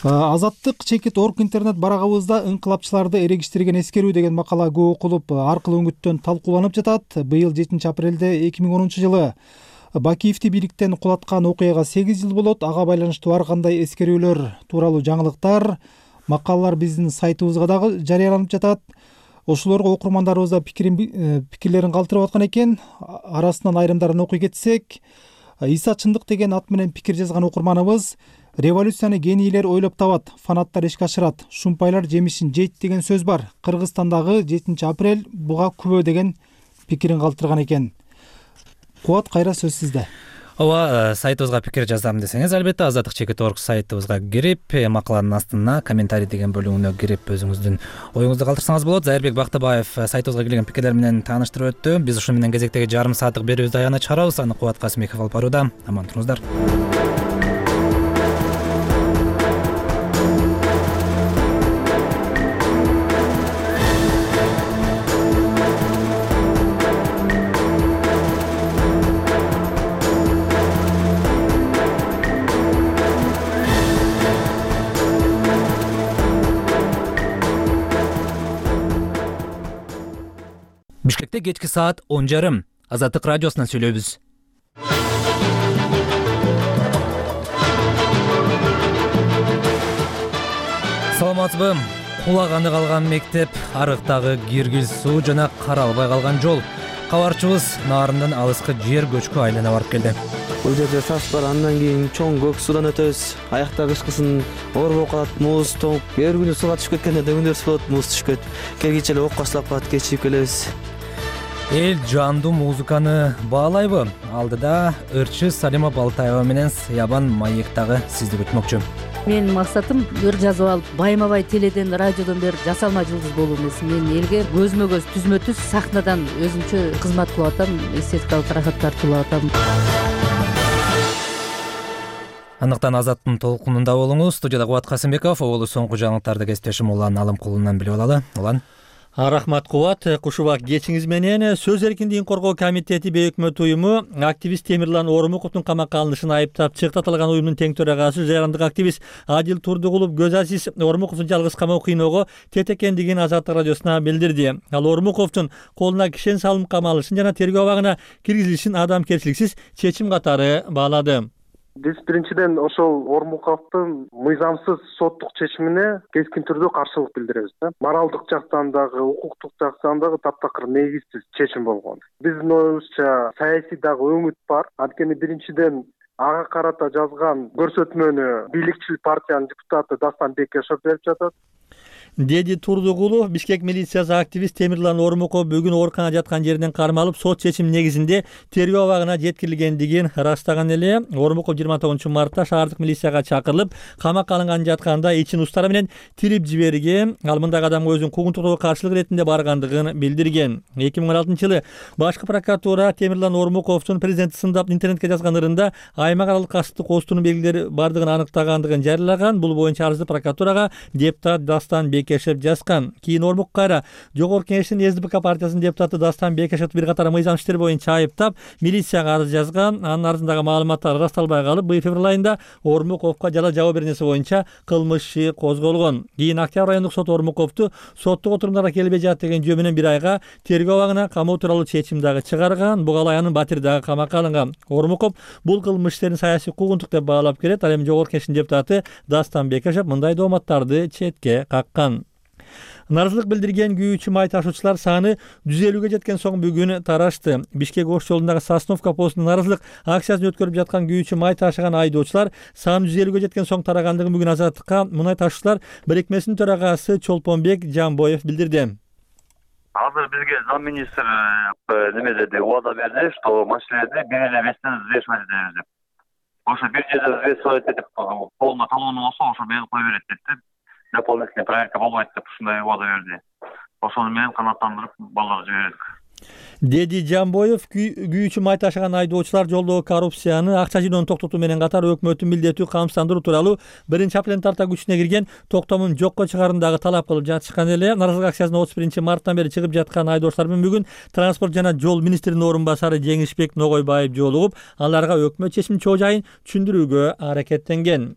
Азаттык чекит точка орг интернет барагыбызда ыңкылапчыларды эрегиштирген эскерүү деген макала көп окулуп, аркылуу үңүттөн талкууланып жатат. Быйыл жетинчи апрелде эки миң онунчу жылы Бакиевди бийликтен кулаткан окуяга сегиз жыл болот. Ага байланыштуу ар кандай эскерүүлөр тууралуу жаңылыктар, макалалар биздин сайтыбызга дагы жарыяланып жатат. Ошолорго окурмандарыбыз пикирин пикирлерин калтырып аткан экен. Арасынан айрымдарын окуй кетсек, Иса Чындык деген ат менен пикир жазган окурманыбыз революцияны генийлер ойлоп табат, фанаттар ишке ашырат, шумпайлар жемишин жейт деген сөз бар. Кыргызстандагы жетинчи апрель буга күбө деген пикирин калтырган экен. Кубат, кайра сөз сизде. Ооба, сайтыбызга пикир жазам десеңиз, албетте азаттык чекит орг сайтыбызга кирип, макаланын астына комментарий деген бөлүгүнө кирип өзүңүздүн оюңузду калтырсаңыз болот. Зайырбек Бактыбаев сайтыбызга келген пикирлер менен тааныштырып өттү. Биз ушуну менен кезектеги жарым сааттык берүүбүздү аягына чыгарабыз. Аны Кубат Касымбеков алып барууда. Аман туруңуздар. Бишкекте кечки саат он жарым. Азаттык радиосунан сүйлөйбүз. Саламатсызбы? Кулаганы калган мектеп, арыктагы киргил суу жана каралбай калган жол. Кабарчыбыз наарындан алыскы жер көчкү айлана барып келди. Бул жерде сас бар, андан кийин чоң көк суудан өтөбүз. Аякта кышкысын оор болуп калат, муз тоңуп, эр күнү сууга түшүп кеткенде дөңдөрсүз болот, муз түшкөт. Келгиче эле окко сылап калат, кечип келебиз. Эл жандуу музыканы баалайбы? Алдыда ырчы Салима Балтаева менен Сыябан маектагы сизди күтмөкчү. Менин максатым ыр жазып алып, байма-бай теледен, радиодон бери жасалма жылдыз болуу эмес. Мен элге көзмө көз, түзмө түз сахнадан өзүмчө кызмат кылып атам, эстетикалык ырахат тартуулап атам. Андыктан Азаттын толкунунда болуңуз. Студияда Кубат Касымбеков, оболу соңку жаңылыктарды кесиптешим Улан Алымкулунан билип алалы. Улан. Рахмат Кубат. Кушубак кечиңиз менен Сөз эркиндигин коргоо комитети бейөкмөт уюму активист Темирлан Оормуковдун камакка алынышын айыптап чыкты. Аталган уюмдун тең төрагасы жарандык активист Адил Турдугулов Көз Азиз Оормуковдун жалгыз камоо кыйноого тет экендигин Азаттык радиосуна билдирди. Ал Оормуковдун колуна кишен салым камалышын жана тергөө абагына киргизилишин адамгерчиликсиз чечим катары баалады. Биз биринчиден ошол Оормуковдун мыйзамсыз соттук чечимине кескин түрдө каршылык билдиребиз. Моралдык жактан дагы, укуктук жактан дагы таптакыр негизсиз чечим болгон. Биздин оюбузча саясий дагы өңүт бар. Анткени биринчиден ага карата жазган көрсөтмөнү бийликчил партиянын депутаты Дастан Бекешев берип жатат. Деди Турдугулов. Бишкек милициясы активист Темирлан Оормуков бүгүн ооруканада жаткан жеринен кармалып, сот чечими негизинде тергөө абагына жеткирилгендигин ырастаган эле. Оормуков жыйырма тогузунчу мартта шаардык милицияга чакырылып, камакка алынган жатканда ичин устары менен тирип жиберген. Ал мындагы адамга өзүнүн куугунтуктоого каршылык иретинде баргандыгын билдирген. эки миң он алтынчы жылы башкы прокуратура Темирлан Оормуковдун президентти сындап интернетке жазган ырында аймак аралык касыптык оозтунун белгилери бардыгын аныктагандыгын жарыялаган. Бул боюнча арызды прокуратурага депутат Дастан Бекешев жазган. Кийин Оормук кайра Жогорку Кеңештин эс ди пэ ка партиясынын депутаты Дастан Бекешев бир катар мыйзам иштери боюнча айыптап, милицияга арыз жазган. Анын арызындагы маалыматтар ырасталбай калып, быйыл февраль айында Оормуковго жала жабуу беренеси боюнча кылмыш иши козголгон. Кийин Октябрь райондук сот Оормуковду соттук отурумдарга келбей жатат деген жөө менен бир айга тергөө абагына камоо тууралуу чечим дагы чыгарган. Буга аянын батири дагы камакка алынган. Оормуков бул кылмыш иштерин саясий куугунтук деп баалап келет. Ал эми Жогорку Кеңештин депутаты Дастан Бекешев мындай дооматтарды четке каккан. Наразылык билдирген күйүүчү май ташуучулар саны жүз элүүгө жеткен соң бүгүн тарашты. Бишкек Ош жолундагы Сосновка постунун наразылык акциясын өткөрүп жаткан күйүүчү май ташыган айдоочулар саны жүз элүүгө жеткен соң тарагандыгын бүгүн Азаттыкка мунай ташуучулар бирикмесинин төрагасы Чолпонбек Жамбоев билдирди. Азыр бизге замминистр неме деди, убада берди, что машиналарды бир эле вестен взвешивать этебиз деп. Ошо бир жерде взвешивать этип полный талон болсо, ошо берип кое берет депти. Дополнительная проверка болбойт деп ушундай убада берди. Ошону менен канааттандырып балдар жибердик. Деди Жамбоев. Күйүүчү май ташыган айдоочулар жолдогу коррупцияны, акча жыйноону токтотуу менен катар өкмөттүн милдеттүү камсыздандыруу тууралуу биринчи апрелдин тарта күчүнө кирген токтомун жокко чыгаарын дагы талап кылып жатышкан эле. Наразылык акциясына отуз биринчи марттан бери чыгып жаткан айдоочулар менен бүгүн транспорт жана жол министринин орун басары Жеңишбек Ногойбаев жолугуп, аларга өкмөт чечиминин чоо жайын түшүндүрүүгө аракеттенген.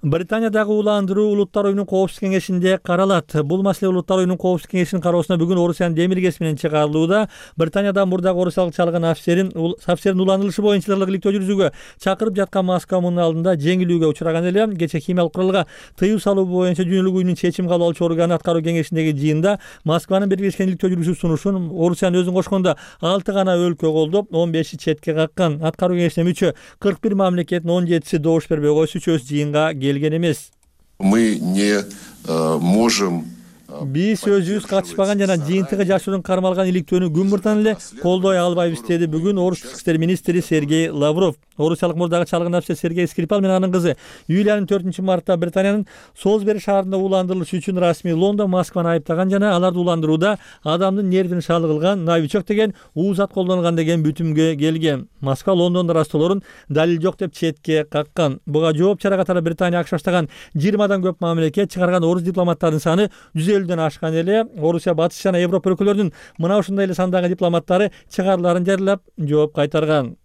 Британиядагы уландыруу Улуттар уюмунун коопсуздук кеңешинде каралат. Бул маселе Улуттар уюмунун коопсуздук кеңешинин кароосуна бүгүн Орусиянын демиргеси менен чыгарылууда. Британияда мурдагы орусиялык чалган офицерин офицердин уландырылышы боюнча иликтөө жүргүзүүгө чакырып жаткан Москва мунун алдында жеңилүүгө учураган эле. Кечээ химиялык куралга тыюу салуу боюнча Дүйнөлүк уюмдун чечим кабыл алуучу органы аткаруу кеңешиндеги жыйында Москванын бергилешкен иликтөө жүргүзүү сунушун Орусиянын өзүн кошкондо алты гана өлкө колдоп, он беши четке каккан. Аткаруу кеңешине мүчө кырк бир мамлекеттин он жетиси добуш бербей койсо, үчөөсү жыйынга келген эмес. Мы не э, можем биз өзүбүз катышпаган жана жыйынтыгы жашоодон кармалган иликтөөнү күн муртан эле колдой албайбыз деди бүгүн Орус тышкы иштер министри Сергей Лавров. Орусиялык мурдагы чалгын офицер Сергей Скрипал менен анын кызы Юлиянын төртүнчү мартта Британиянын Солсбери шаарында ууландырылышы үчүн расмий Лондон Москваны айыптаган жана аларды ууландырууда адамдын нервин шалы кылган новичок деген уузат колдонгон деген бүтүмгө келген. Москва Лондондун растоолорун далил жок деп четке каккан. Буга жооп чара катары Британия АКШ баштаган жыйырмадан көп мамлекет чыгарган орус дипломаттарынын саны жүз элүүдөн ашкан эле. Орусия батыш жана Европа өлкөлөрүнүн мына ушундай эле сандагы дипломаттары чыгарыларын жарыялап жооп кайтарган.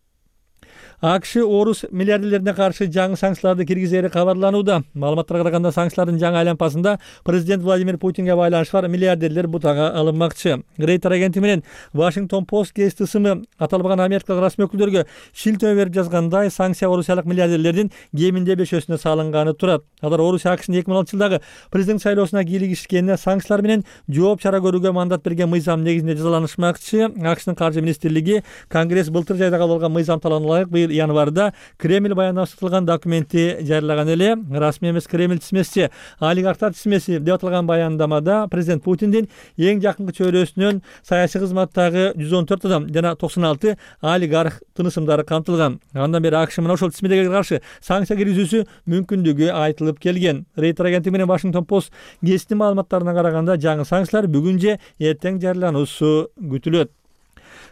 АКШ орус миллиардерлерине каршы жаңы санкцияларды киргизери кабарланууда. Маалыматтарга караганда санкциялардын жаңы айлампасында президент Владимир Путинге байланышы бар миллиардерлер бутага алынмакчы. Рейтер агенти менен Washington Post гезити ысымы аталбаган америкалык расмий өкүлдөргө шилтөө берип жазгандай, санкция орусиялык миллиардерлердин кеминде бешөөсүнө салынганы турат. Алар Орусия АКШнын эки миң он алтынчы жылдагы президент шайлоосуна кийлигишкенине санкциялар менен жооп чара көрүүгө мандат берген мыйзам негизинде жазаланышмакчы. АКШнын каржы министрлиги Конгресс былтыр жайда кабыл алган мыйзам талабына ылайык быйыл январда Кремль баяндамасытылган документти жарыялаган эле. Расмий эмес Кремль тизмеси, олигархтар тизмеси деп аталган баяндамада президент Путиндин эң жакынкы чөйрөсүнөн саясий кызматтагы жүз он төрт адам жана токсон алты олигарх тынысымдары камтылган. Андан бери АКШ мына ошол тизмеге каршы санкция киргизүүсү мүмкүндүгү айтылып келген. Рейтер агенти менен Washington Post гезитинин маалыматтарына караганда жаңы санкциялар бүгүн же эртең жарыялануусу күтүлөт.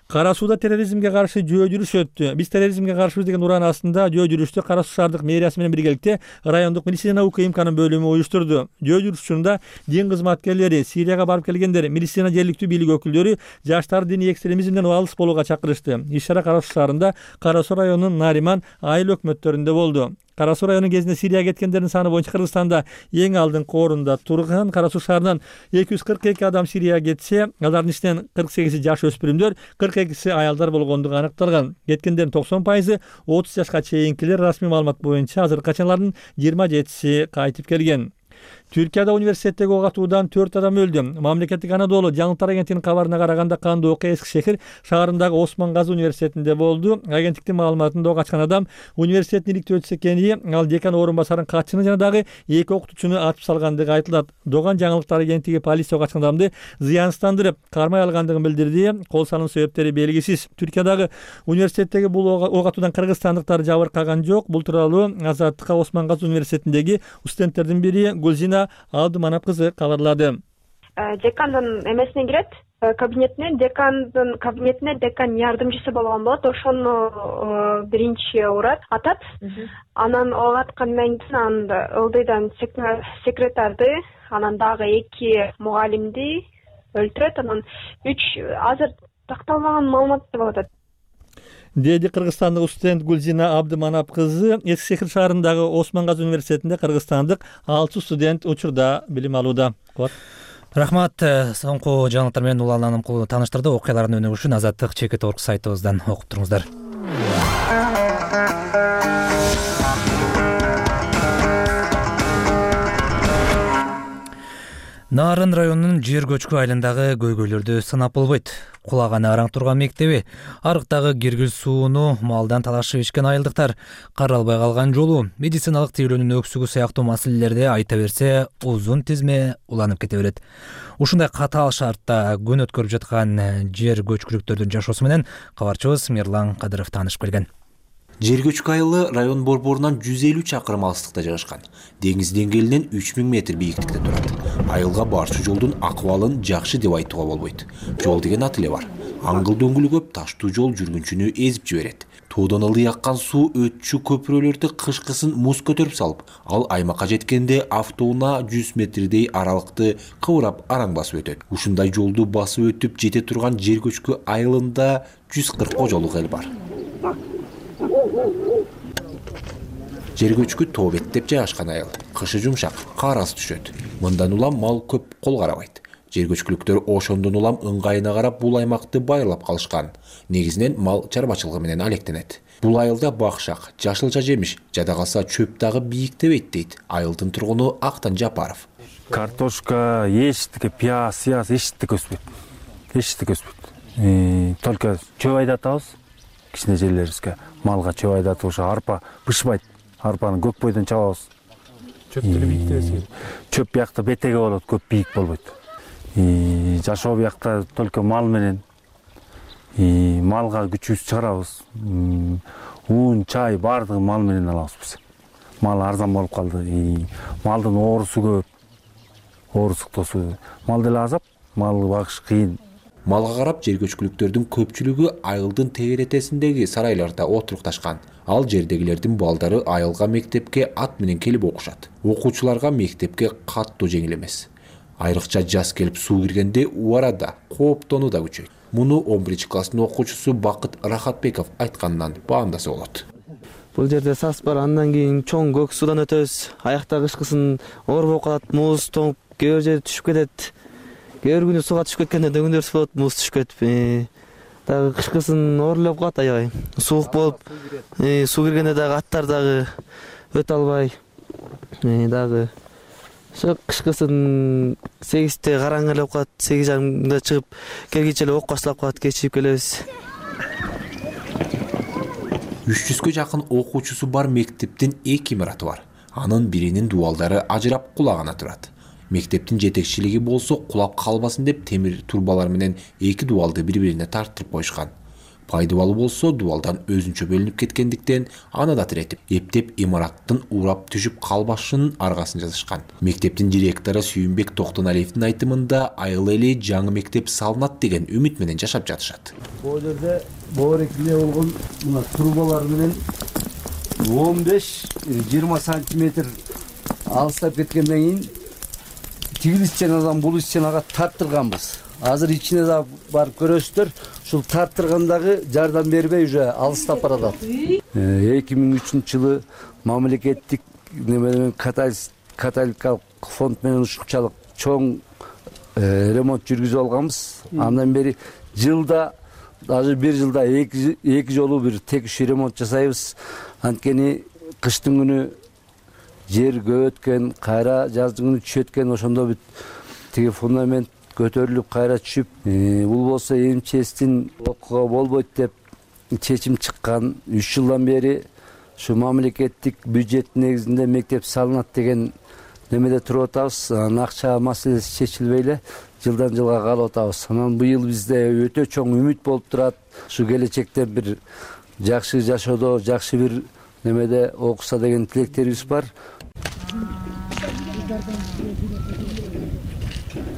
Кара сууда терроризмге каршы жөө жүрүш өттү. Биз терроризмге каршыбыз деген ураан астында жөө жүрүштү Кара Суу шаардык мэриясы менен биргеликте райондук милиция наука имканын бөлүмү уюштурду. Жөө жүрүш учурунда дин кызматкерлери, Сирияга барып келгендер, милиция жергиликтүү бийлик өкүлдөрү жаштар диний экстремизмден алыс болууга чакырышты. Иш-чара Кара Суу шаарында, Кара Суу районунун Нариман айыл өкмөттөрүндө болду. Кара Суу районунун кезинде Сирияга кеткендердин саны боюнча Кыргызстанда эң алдыңкы орунда турган. Кара Суу шаарынан эки жүз кырк эки адам Сирияга кетсе, алардын ичинен кырк сегизи жаш өспүрүмдөр, кырк экиси аялдар болгондугу аныкталган. Кеткендердин токсон пайызы отуз жашка чейинкилер. Расмий маалымат боюнча азыр качанлардын жыйырма жетиси кайтып келген. Түркияда университеттеги ок атуудан төрт адам өлдү. Мамлекеттик Анадолу жаңылыктар агенттигинин кабарына караганда кандуу окуя Эски шехир шаарындагы Осмон Газы университетинде болду. Агенттиктин маалыматында ок ачкан адам университеттин иликтөө экени, ал декан орун басарынын катчыны жана дагы эки окутуучуну атып салгандыгы айтылат. Доган жаңылыктар агенттиги полиция ок ачкан адамды зыянсыздандырып, кармай алгандыгын билдирди. Кол салуу себептери белгисиз. Түркиядагы университеттеги бул ок атуудан кыргызстандыктар жабыркаган жок. Бул тууралуу Азаттыкка Осмон Газы университетиндеги студенттердин бири Гүлзина Абдыманап кызы кабарлады. Декандын эмесине кирет, кабинетине, декандын кабинетине декан жардымчысы болгон болот. Ошону биринчи урат, атат. Анан ок аткандан кийин аны ылдыйдан секретарды, анан дагы эки мугалимди өлтүрөт. Анан үч азыр такталбаган маалымат деп атат. Деди кыргызстандык студент Гүлзина Абдыманап кызы. Эски шехир шаарындагы Осмон Газы университетинде кыргызстандык алты студент учурда билим алууда. Рахмат. Соңку жаңылыктар менен улан аныкулу тааныштырды. Окуялардын өнүгүшүн Азаттык чекит точка орг сайтыбыздан окуп туруңуздар. Нарын районунун жер көчкү айылындагы көйгөйлөрдү сынап болбойт. Кулаганы араң турган мектеби, арыктагы киргиз сууну малдан талашып ичкен айылдыктар, каралбай калган жолу, медициналык тейлөөнүн өксүгү сыяктуу маселелерди айта берсе, узун тизме уланып кете берет. Ушундай катаал шартта күн өткөрүп жаткан жер көчкүлүктөрдүн жашоосу менен кабарчыбыз Мирлан Кадыров таанышып келген. Жер көчкү айылы район борборунан жүз элүү чакырым алыстыкта жайгашкан. Деңиз деңгээлинен үч миң метр бийиктикте турат. Айылга барчу жолдун акыбалын жакшы деп айтууга болбойт. Жол деген ат эле бар. Аңгыл дөңгүлү көп таштуу жол жүргүнчүнү эзип жиберет. Тоодон ылдый аккан суу өтчү көпүрөлөрдү кышкысын муз көтөрүп салып, ал аймакка жеткенде автоунаа жүз метрдей аралыкты кыбырап араң басып өтөт. Ушундай жолду басып өтүп жете турган жер көчкү айылында жүз кырк кожолук эл бар. Жер көчкү тоо беттеп жайгашкан айыл. Кышы жумшак, каарасы түшөт. Мындан улам мал көп кол карабайт. Жер көчкүлүктөр ошондон улам ыңгайына карап бул аймакты байырлап калышкан. Негизинен мал чарбачылыгы менен алектенет. Бул айылда бакшак, жашылча жемиш, жада калса чөп дагы бийиктебейт дейт айылдын тургуну Актан Жапаров. Картошка, эчтеке, пияз, сыяз эчтеке өспөйт. Эчтеке өспөйт. Только чөп айдатабыз. Кичине жерлерибизге малга чөп айдатып ошо арпа бышпайт. Арпаны көк бойдон чабабыз. Чөптү бийиктебесиз. Чөп биякта бетеге болот, көп бийик болбойт. жашоо биякта только мал менен, малга күчүбүздү чыгарабыз. Уун, чай баардыгын мал менен алабыз биз. Мал арзан болуп калды. Малдын оорусу көп. Оору суктоосу. Мал деле азап, малды багыш кыйын. Малга карап жергөчкүлүктөрдүн көпчүлүгү айылдын тегеретесиндеги сарайларда отурукташкан. Ал жердегилердин балдары айылга мектепке ат менен келип окушат. Окуучуларга мектепке каттуу жеңил эмес. Айрыкча жаз келип суу киргенде убарада кооптонуу да күчөйт. Муну он биринчи класстын окуучусу Бакыт Рахатбеков айткандан баамдаса болот. Бул жерде сас бар, андан кийин чоң көк суудан өтөбүз. Аякта кышкысын оор болуп калат, муз тоңуп, кээ бир жерде түшүп кетет. Кээ бир күнү сууга түшүп кеткенде дөңдөрүбүз болот, муз түшүп кетип. Дагы кышкысын оорлоп калат аябай. Суук болуп, суу киргенде дагы аттар дагы өтө албай. Дагы ошо кышкысын сегизде караңгы эле болуп калат, сегиз жарымда чыгып, келгиче эле ок башталып калат, кечигип келебиз. үч жүзгө жакын окуучусу бар мектептин эки имараты бар. Анын биринин дубалдары ажырап кулагана турат. Мектептин жетекчилиги болсо кулап калбасын деп темир турбалар менен эки дубалды бири-бирине тарттырып коюшкан. Пайдыбалы болсо дубалдан өзүнчө бөлүнүп кеткендиктен аны да тиретип, эптеп имараттын урап түшүп калбашынын аргасын жазышкан. Мектептин директору Сүйүнбек Токтоналиевдин айтымында айыл эли жаңы мектеп салынат деген үмүт менен жашап жатышат. Бул жерде боорекиле болгон мына трубалар менен он беш жыйырма сантиметр алыстап кеткенден кийин тигил ичченадан бул ичченага тарттырганбыз. Азыр ичине да барып көрөсүздөр. Ушул тарттыргандагы жардам бербей уже алыстап барат. эки миң үчүнчү жылы мамлекеттик неменен католикалык фонд менен ушунчалык чоң ремонт жүргүзүп алганбыз. Андан бери жылда даже бир жылда эки эки жолу бир текшүү ремонт жасайбыз. Анткени кыштын күнү жер көбөткөн, кайра жаздын күнү түшөткөн, ошондо бүт тиги фундамент көтөрүлүп кайра түшүп, бул болсо эмчестин окууга болбойт деп чечим чыккан. үч жылдан бери ушу мамлекеттик бюджет негизинде мектеп салынат деген немеде туруп атабыз. Анан акча маселеси чечилбей эле жылдан жылга калып атабыз. Анан быйыл бизде өтө чоң үмүт болуп турат. Ушу келечекте бир жакшы жашоодо, жакшы бир немеде окуса деген тилектерибиз бар.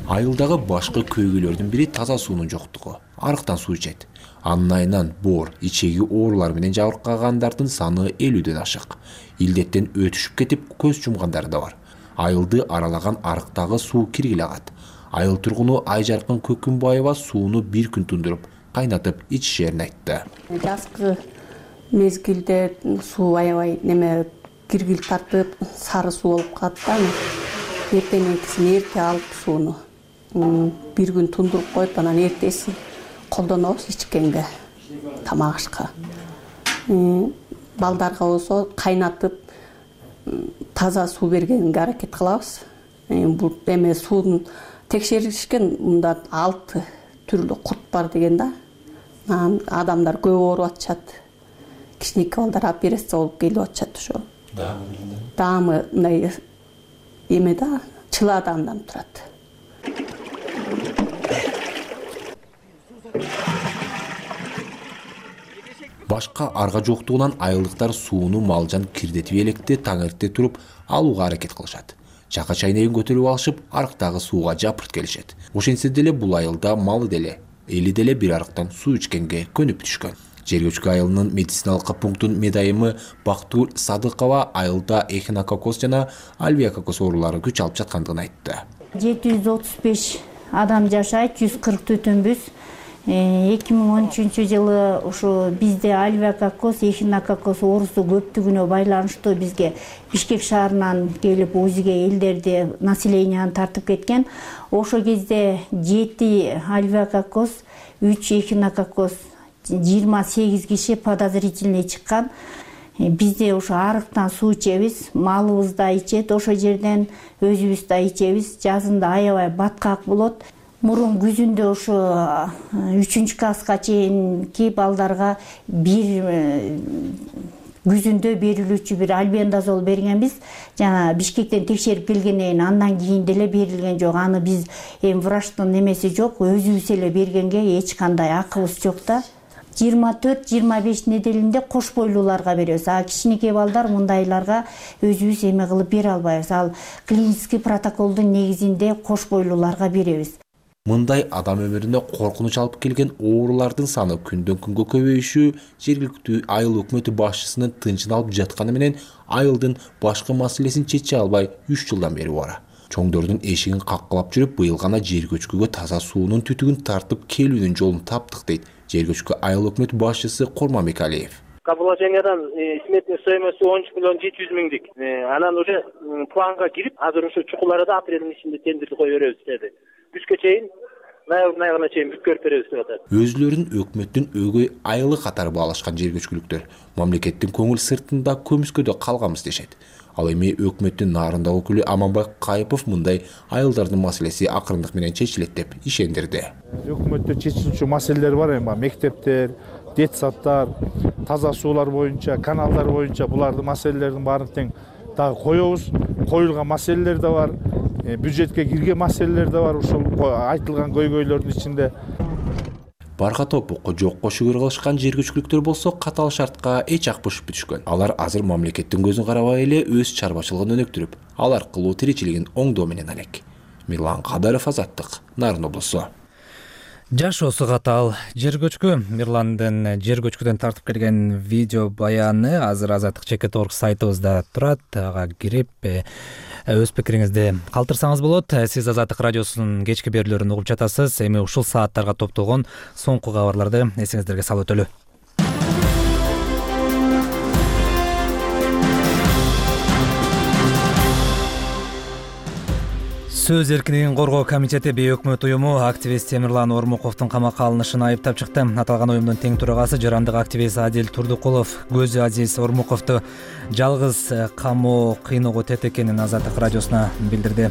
Айылдагы башкы көйгөйлөрдүн бири таза суунун жоктугу. Арыктан суу ичет. Анын айынан боор, ичеги оорулар менен жабыркагандардын саны элүүдөн ашык. Илдеттен өтүшүп кетип, көз жумгандар да бар. Айылды аралаган арыктагы суу киргиле агат. Айыл тургуну Айжаркын Көкүнбаева сууну бир күн тундуруп, кайнатып ичишерин айтты. Жазкы мезгилде суу аябай неме киргил тартып, сары суу болуп калат да. Эртеңкисин эрте алып сууну бир күн тундуруп коюп, анан эртесин колдонобуз ичкенге, тамак ашка. Балдарга болсо кайнатып таза суу бергенге аракет кылабыз. Бул эме суунун текшеришкен, мында алты түрлүү курт бар деген да. Адамдар көп ооруп атышат. Кичинекей балдар операция болуп келип атышат ошо. Даамы мындай эме да, чыла адамдан турат. Башка арга жоктугунан айылдыктар сууну малжан кирдетип электе таң эрте туруп алууга аракет кылышат. Чака чайнегин көтөрүп алышып, арыктагы сууга жапырт келишет. Ошентсе деле бул айылда малы деле, эли деле бир арыктан суу ичкенге көнүп түшкөн. Жергөчкү айылынын медициналык пунктунун медайымы Бактур Садыкова айылда эхинококоз жана альвеококоз оорулары күч алып жаткандыгын айтты. жети жүз отуз беш адам жашайт, жүз кырк түтүнбүз. эки миң он үчүнчү жылы ушу бизде альвеококоз, эхинококоз оорусу көптүгүнө байланыштуу бизге Бишкек шаарынан келип УЗИге элдерди, населенияны тартып кеткен. Ошол кезде жети альвеококоз, үч эхинококоз, жыйырма сегиз киши подозрительный чыккан. Бизде ошо арыктан суу ичебиз, малыбыз да ичет, ошол жерден өзүбүз да ичебиз. Жазында аябай баткак болот. Мурун күзүндө ошо үчүнчү класска чейинки балдарга бир күзүндө берилүүчү бир альбендазол бергенбиз. Жана Бишкектен текшерип келгенден кийин андан кийин деле берилген жок. Аны биз эми врачтын немеси жок, өзүбүз эле бергенге эч кандай акыбыз жок да. жыйырма төрт жыйырма беш неделинде кош бойлууларга беребиз. А кичинекей балдар мындайларга өзүбүз эме кылып бере албайбыз. Ал клиницкий протоколдун негизинде кош бойлууларга беребиз. Мындай адам өмүрүнө коркунуч алып келген оорулардын саны күндөн күнгө көбөйүшү жергиликтүү айыл өкмөтү башчысынын тынчын алып жатканы менен айылдын башкы маселесин чече албай үч жылдан бери бара. Чоңдордун эшигин каккылап жүрүп, быйыл гана жер көчкүгө таза суунун түтүгүн тартып келүүнүн жолун таптык дейт жер көчкү айыл өкмөтү башчысы Курманбек Алиев. Каположениядан сметный стоимости он үч миллион жети жүз миңдик. Анан уже планга кирип, азыр ушу чукуларда апрелдин ичинде тендерди кое беребиз деди. Күзгө чейин, ноябрдын айына чейин бүткөрүп беребиз деп атат. Өзүлөрүн өкмөттүн өгөй айылы катары баалашкан жер көчкүлүктөр мамлекеттин көңүл сыртында көмүскөдө калганбыз дешет. Ал эми өкмөттүн нарында өкүлү Аманбай Кайыпов мындай айылдардын маселеси акырындык менен чечилет деп ишендирди. Өкмөттө чечилүүчү маселелер бар эми, мектептер, детсаддар, таза суулар боюнча, каналдар боюнча булардын маселелердин баарын тең дагы коебуз. Коюлган маселелер да бар, бюджетке кирген маселелер да бар, ушул айтылган көйгөйлөрдүн ичинде. Барга топукку жокко шүгүр кылышкан жер көчкүлүктөр болсо катаал шартка эч ак бошуп бүтүшкөн. Алар азыр мамлекеттин көзүн карабай эле өз чарбачылыгын өнүктүрүп, ал аркылуу тиричилигин оңдоо менен алек. Мирлан Кадаров, Азаттык, Нарын облусу. Жашоосу катаал жер көчкү. Мирландын жер көчкүдөн тартып келген видео баяны азыр Азаттык чекит орг сайтыбызда турат. Ага кирип өз пикириңизди калтырсаңыз болот. Сиз Азаттык радиосунун кечки берүүлөрүн угуп жатасыз. Эми ушул сааттарга топтолгон соңку кабарларды эсиңиздерге салып өтөлү. Сөз эркиндигин коргоо комитети бейөкмөт уюму активист Темирлан Ормуковдун камакка алынышын айыптап чыкты. Аталган уюмдун тең төрагасы жарандык активист Адил Турдукулов көзү Азиз Ормуковду жалгыз камоо кыйноого тет экенин Азаттык радиосуна билдирди.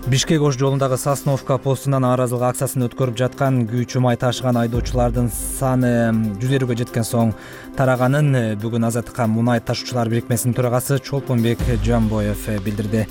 Бишкек Ош жолундагы Сосновка постунан нааразылык акциясын өткөрүп жаткан күйчү май ташыган айдоочулардын саны жүз элүүгө жеткен соң тараганын бүгүн Азаттыкка мунай ташуучулар бирикмесинин төрагасы Чолпонбек Жамбоев билдирди.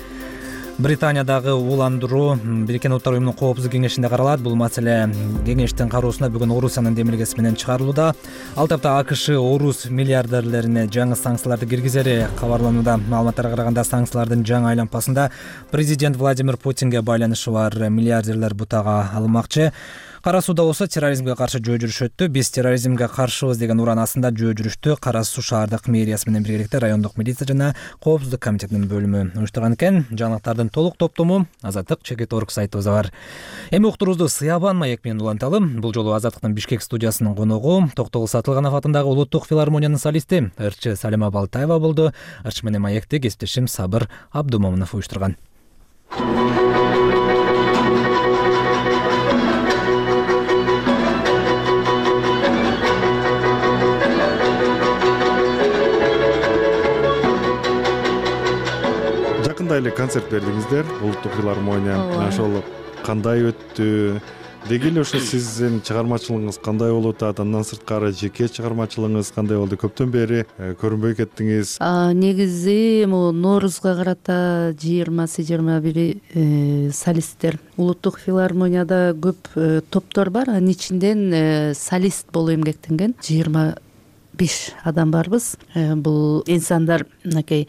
Британиядагы ууландыруу Бириккен Улуттар уюмунун коопсуздук кеңешинде каралат. Бул маселе кеңештин кароосуна бүгүн Орусиянын демилгеси менен чыгарылууда. Ал тапта АКШ орус миллиардерлерине жаңы санкцияларды киргизери кабарланууда. Маалыматтарга караганда санкциялардын жаңы айлампасында президент Владимир Путинге байланышы бар миллиардерлер бутага алынмакчы. Кара сууда болсо терроризмге каршы жөө жүрүш өттү. Биз терроризмге каршыбыз деген уран астында жөө жүрүштү Кара Суу шаардык мэриясы менен биргеликте райондук милиция жана коопсуздук комитетинин бөлүмү уюштурган экен. Жаңылыктардын толук топтому Азаттык чекит орг сайтыбызда бар. Эми уктуруубузду Сыябан маек менен уланталы. Бул жолу Азаттыктын Бишкек студиясынын коногу Токтогул Сатылганов атындагы Улуттук филармониянын солисти ырчы Салима Балтаева болду. Ырчы менен маекти кесиптешим Сабыр Абдумомунов уюштурган. Жакында эле концерт бердиңиздер Улуттук филармония. Ошол кандай өттү? Деги эле ошо сиздин чыгармачылыгыңыз кандай болуп атат? Андан сырткары жеке чыгармачылыгыңыз кандай болду? Көптөн бери көрүнбөй кеттиңиз. Негизи могу Ноорузга карата жыйырмасы жыйырма бири солисттер. Улуттук филармонияда көп топтор бар. Анын ичинден солист болуу эмгектенген жыйырма беш адам барбыз. Бул инсандар мынакей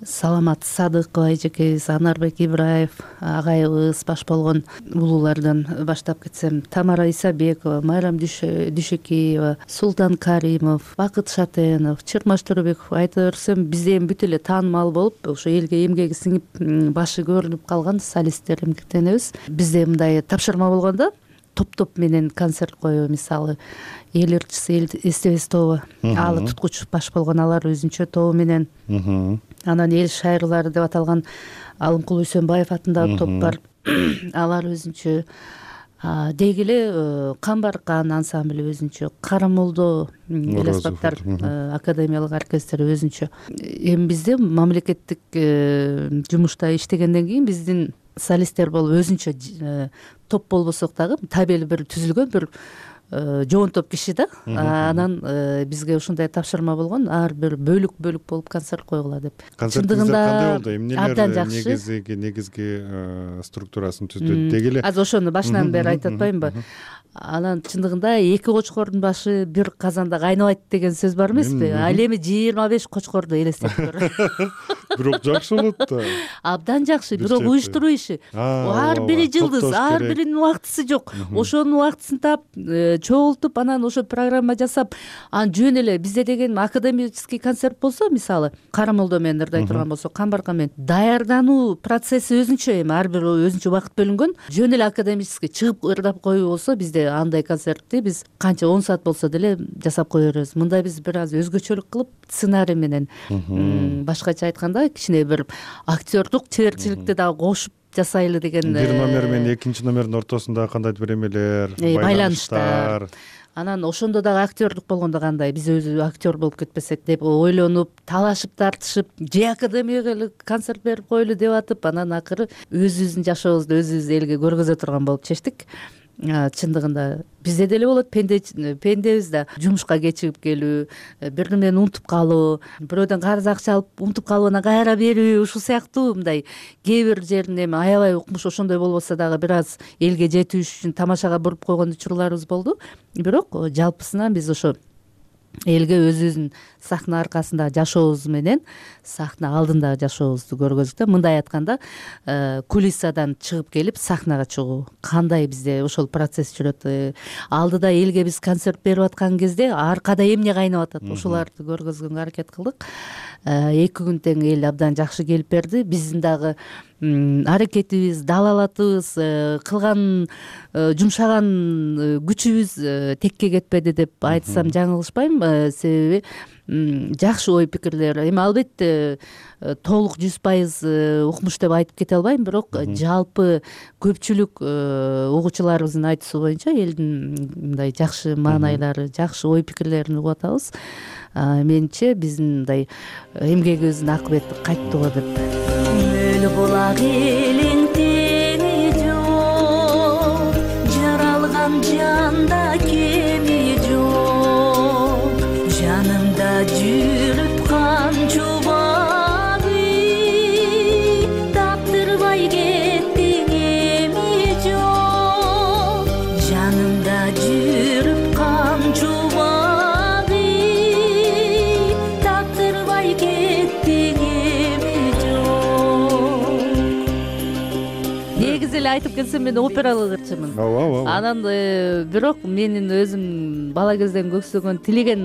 Саламат Садыкова эжекебиз, Анарбек Ибраев агайыбыз, баш болгон улуулардан баштап кетсем, Тамара Исабекова, Майрам Дүйшөкеева, Султан Каримов, Бакыт Шатенов, Чырмаш Төрөбеков айта берсем, бизде эми бүт эле таанымал болуп, ошо элге эмгеги сиңип, башы көрүнүп калган солисттер эмгектенебиз. Бизде мындай тапшырма болгондо топ-топ менен концерт коюу, мисалы эл ырчысы, эл эстебес тобу, алы туткуч баш болгон алар өзүнчө тобу менен, анан эл шайырлары деп аталган Алымкул Үсөнбаев атындагы топ бар, алар өзүнчө. Деги эле Камбаркан ансамбли өзүнчө, Карамолдо эл аспаптар академиялык оркестри өзүнчө. Эми бизде мамлекеттик жумушта иштегенден кийин биздин солисттер болуп өзүнчө топ болбосок дагы табели бир түзүлгөн бир жоонтоп киши да, анан бизге ушундай тапшырма болгон, ар бир бөлүк бөлүк болуп концерт койгула деп. Концертиңиздер кандай болду? Абдан Эмнелер жакшы. негизги негизги структурасын түздү? Деги эле азыр ошону башынан бери айтып атпаймынбы? Анан чындыгында эки кочкордун башы бир казанда кайнабайт деген сөз бар эмеспи? Ал эми жыйырма беш кочкорду элестетип көр. Бирок жакшы болот да. Абдан жакшы, бирок уюштуруу иши. Ар бири жылдыз, ар биринин убактысы жок. Ошонун убактысын таап, чогултуп, анан ошо программа жасап, анан жөн эле бизде деген академический концерт болсо, мисалы, Карамолдо менен ырдай турган болсо, Камбарка менен даярдануу процесси өзүнчө, эми ар бир өзүнчө убакыт бөлүнгөн. Жөн эле академический чыгып ырдап коюу болсо, бизде андай концертти биз канча он саат болсо деле жасап кое беребиз. Мында биз бир аз өзгөчөлүк кылып, сценарий менен, башкача айтканда, кичине бир актёрдук чеберчиликти дагы кошуп жасайлы деген. Бир номер менен экинчи номердин ортосунда кандайдыр бир эмелер, байланыштар. Анан ошондо дагы актёрдук болгондо кандай, биз өзү актер болуп кетпесек деп ойлонуп, талашып, тартышып, же академияга эле концерт берип коелу деп атып, анан акыры өзүбүздүн жашообузду өзүбүз элге көргөзө турган болуп чечтик. Чындыгында бизде деле болот, пенде пендебиз да, жумушка кечигип келүү, бир нерсени унутуп калуу, бирөөдөн карыз акча алып унутуп калып анан кайра берүү, ушул сыяктуу мындай кээ бир жерин эми аябай укмуш ошондой болбосо дагы бир аз элге жетүү үчүн тамашага буруп койгон учурларыбыз болду. Бирок жалпысынан биз ошо элге өзүбүздүн сахна аркасында жашообуз менен сахна алдындагы жашообузду көргөздүк да. Мындай айтканда, кулиссадан чыгып келип сахнага чыгуу кандай бизде ошол процесс жүрөт. Алдыда элге биз концерт берип аткан кезде аркада эмне кайнап атат, ошоларды көргөзгөнгө аракет кылдык. Эки күн тең эл абдан жакшы келип берди. Биздин дагы аракетибиз, далалатыбыз, кылган жумшаган күчүбүз текке кетпеди деп айтсам жаңылышпайм. Себеби жакшы ой пикирлер, эми албетте толук жүз пайыз укмуш деп айтып кете албайм, бирок жалпы көпчүлүк угуучуларыбыздын айтуусу боюнча элдин мындай жакшы маанайлары, жакшы ой пикирлерин угуп атабыз. Менимче биздин мындай эмгегибиздин акыбети кайттыго деп. Мөл булак элиң теңи жок, жаралган жанда кеми жок, жанымда жүрүп канчубагы, таптырбай кеттиң эми жок, жанымда жүрүп канчубагы, таптырбай кеттиң эми жок. Негизи эле айтып келсем, мен опералык ырчымын. Анан бирок менин өзүм бала кезден көксөгөн, тилеген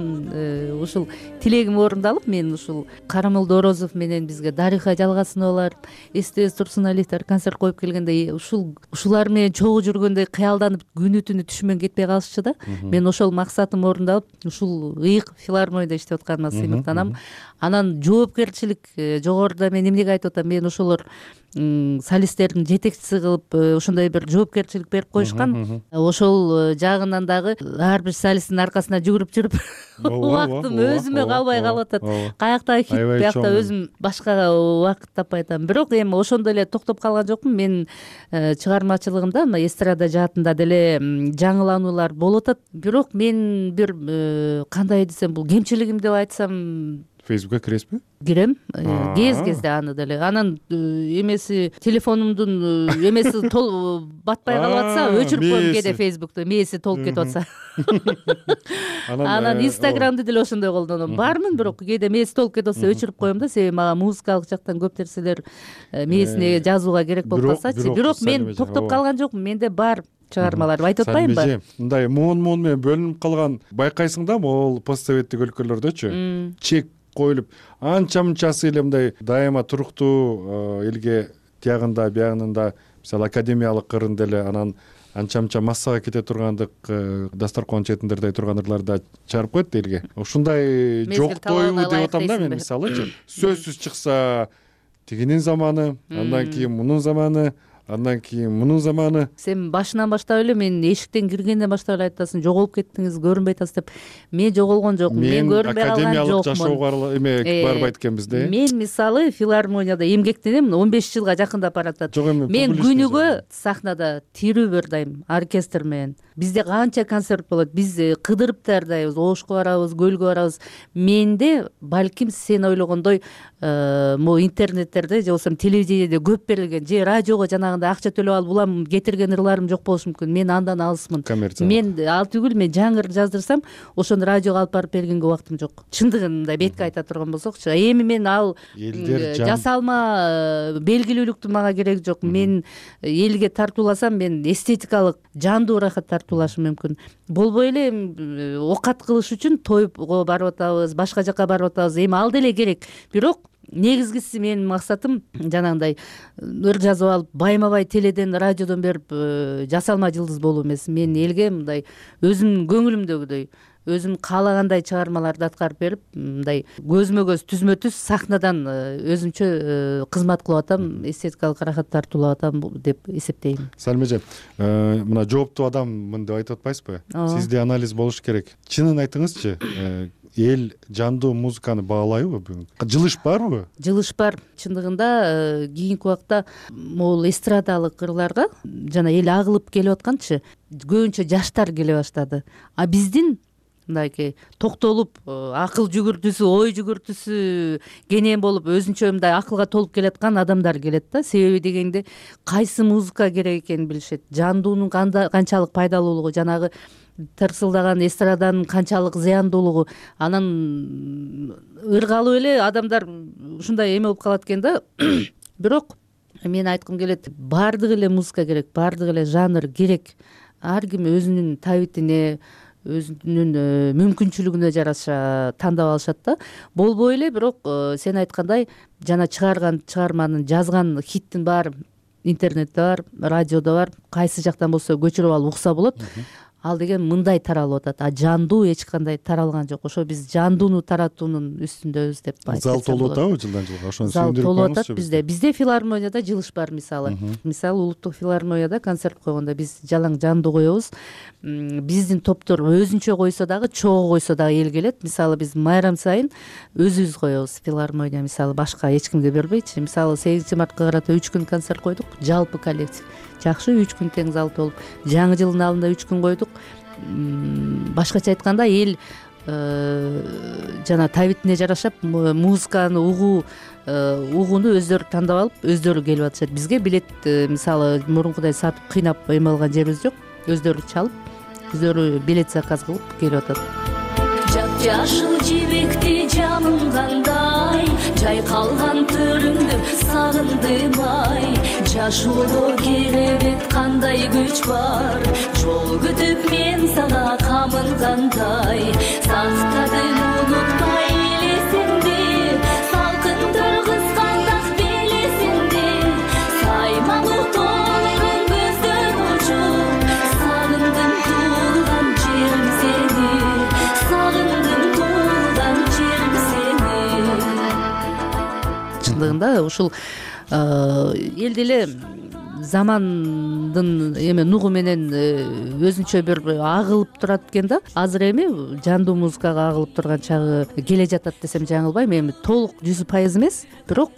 ушул тилегим орундалып, мен ушул Карамолдо Орозов менен бизге Дариха Жалгасыновалар, Эстебес Турсуналиевдер концерт коюп келгенде, ушул ушулар менен чогуу жүргөндө кыялданып күнү түнү түшүмөн кетпей калышчу да. Мен ошол максатым орундалып, ушул ыйык филармонияда иштеп атканыма сыймыктанам. Анан жоопкерчилик жогоруда мен эмнеге айтып атам, мен ошолор солисттердин жетекчиси кылып ошондой бир жоопкерчилик берип коюшкан. Ошол жагынан дагы ар бир солисттин аркасына жүгүрүп жүрүп убактым өзүмө калбай калып атат. Каякта хит, биякта өзүм башкага убакыт таппай атам. Бирок эми ошондо эле токтоп калган жокмун. Мен чыгармачылыгымда эстрада жаатында деле жаңылануулар болуп атат. Бирок мен бир кандай десем, бул кемчилигим деп айтсам, Фейсбукка киресизби? Кирем, кез кезде аны деле. Анан эмеси телефонумдун эмеси батпай калып атса, өчүрүп коем кээде Фейсбукту, мээси толуп кетип атса. Анан Инстаграмды деле ошондой колдоном. Бармын, бирок кээде мээси толуп кетип атса, өчүрүп коем да, себеби мага музыкалык жактан көп нерселер мээсине жазууга керек болуп калсачы. Бирок мен токтоп калган жокмун, менде бар чыгармалар, айтып атпаймынбы? Мындай муун-муун менен бөлүнүп калган байкайсың да, могул постсоветтик өлкөлөрдөчү чек коюлуп, анча-мынчасы эле мындай дайыма туруктуу элге тиягында, биягында, мисалы академиялык кырында эле анан анча-мынча массага кете тургандык дасторкон четиндердей турган ырларды чыгарып коет элге. Ушундай жоктоюбу деп атам да мен, мисалычы. Сөзсүз чыкса тигинин заманы, андан кийин мунун заманы, Андан кийин мунун заманы. Сен башынан баштап эле мен эшиктен киргенден баштап эле айтасың, жоголуп кеттиңиз, көрүнбөй атасыз деп. Мен жоголгон жокмун, мен көрүнбөй калган жокмун. Академиялык жашоого эме барбайт экенбиз да. Мен мисалы филармонияда эмгектенем, он беш жылга жакындап баратат. Мен күнүгө сахнада тирүү бир дайым оркестр менен. Бизде канча концерт болот, биз кыдырып даярдайбыз, Ошко барабыз, Көлгө барабыз. Менде балким сен ойлогондой могу интернеттерде же болбосо телевидениеде көп берилген же радиого жанагындай акча төлөп алып улам кетирген ырларым жок болушу мүмкүн. Мен андан алысмын. Мен ал түгүл, мен жаңы ыр жаздырсам, ошону радиого алып барып бергенге убактым жок. Чындыгын мындай бетке айта турган болсокчу, эми мен ал жасалма белгилүүлүктүн мага кереги жок. Мен элге тартууласам, мен эстетикалык жандуу ырахат тартуулашым мүмкүн. Болбой эле окат кылыш үчүн тойго барып атабыз, башка жака барып атабыз. Эми ал деле керек. Бирок негизгиси менин максатым жанагындай ыр жазып алып, байма-бай теледен, радиодон берип жасалма жылдыз болуу эмес. Мен элге мындай өзүмдүн көңүлүмдөгүдөй, өзүм каалагандай чыгармаларды аткарып берип, мындай көзмө-көз, түзмө-түз сахнадан өзүмчө кызмат кылып атам, эстетикалык ырахат тартуулап атам деп эсептейм. Салим эже, мына жооптуу адаммын деп айтып атпайсызбы? Сизде анализ болуш керек. Чынын айтыңызчы, эл жандуу музыканы баалайбы бүгүн? Жылыш барбы? Жылыш бар. Чындыгында кийинки убакта могул эстрадалык ырларга жана эл агылып келип атканчы, көбүнчө жаштар келе баштады. А биздин мындайки токтолуп, акыл жүгүртүүсү, ой жүгүртүүсү кенен болуп, өзүнчө мындай акылга толуп келаткан адамдар келет да. Себеби дегенде кайсы музыка керек экенин билишет. Жандуунун канчалык пайдалуулугу, жанагы тырсылдаган эстраданын канчалык зыяндуулугу, анан ыргалып эле адамдар ушундай эме болуп калат экен да. Бирок мен айткым келет, баардык эле музыка керек, баардык эле жанр керек. Ар ким өзүнүн табитине, өзүнүн мүмкүнчүлүгүнө жараша тандап алышат да. Болбой эле, бирок сен айткандай жана чыгарган чыгарманын, жазган хиттин баары интернетте бар, радиодо бар, кайсы жактан болсо көчүрүп алып укса болот. Ал деген мындай таралып атат, а жандуу эч кандай таралган жок. Ошо биз жандууну таратуунун үстүндөбүз деп айтсак болот. Зал толуп атабы жылдан жылга? Ошону зал толуп атат бизде. Бизде филармонияда жылыш бар мисалы. Мисалы Улуттук филармонияда концерт койгондо биз жалаң жандуу коебуз. Биздин топтор өзүнчө койсо дагы, чогуу койсо дагы эл келет. Мисалы биз майрам сайын өзүбүз коебуз филармония, мисалы башка эч кимге бербейчи. Мисалы сегизинчи мартка карата үч күн концерт койдук, жалпы коллектив. Жакшы, үч күн тең зал толуп. Жаңы жылдын алдында үч күн койдук. Башкача айтканда эл жана табитине жараша музыканы угуу угууну өздөрү тандап алып, өздөрү келип атышат. Бизге билет мисалы мурункудай сатып кыйнап эме алган жерибиз жок. Өздөрү чалып, өздөрү билет заказ кылып келип атат. Жашыл жибекти жамылгандай, жайкалган төрүңдү сагындым ай. Жашоодо керебет кандай күч бар, жол күтүп мен сага камылгандай. Сактадым унутпай элесимди, салкын тыргызганда белесимди. Саймалуу толгон көздөр учуп, сагындым туулган жерим сени, сагындым туулган жерим сени. Чындыгында ушул эл деле замандын эме нугу менен өзүнчө бир агылып турат экен да. Азыр эми жандуу музыкага агылып турган чагы келе жатат десем жаңылбайм. Эми толук жүз пайыз эмес, бирок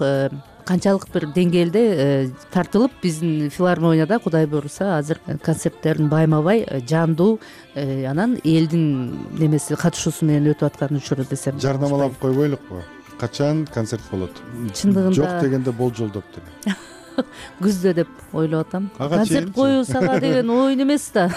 канчалык бир деңгээлде тартылып, биздин филармонияда Кудай буйруса азыр концерттердин байма-бай жандуу, анан элдин немеси катышуусу менен өтүп аткан учуру десем. Жарнамалап койбойлукпу? Качан концерт болот? Чындыгында жок дегенде болжолдоп деле. Күздө деп ойлоп атам. Концерт коюбуз ага деген ойун эмес да.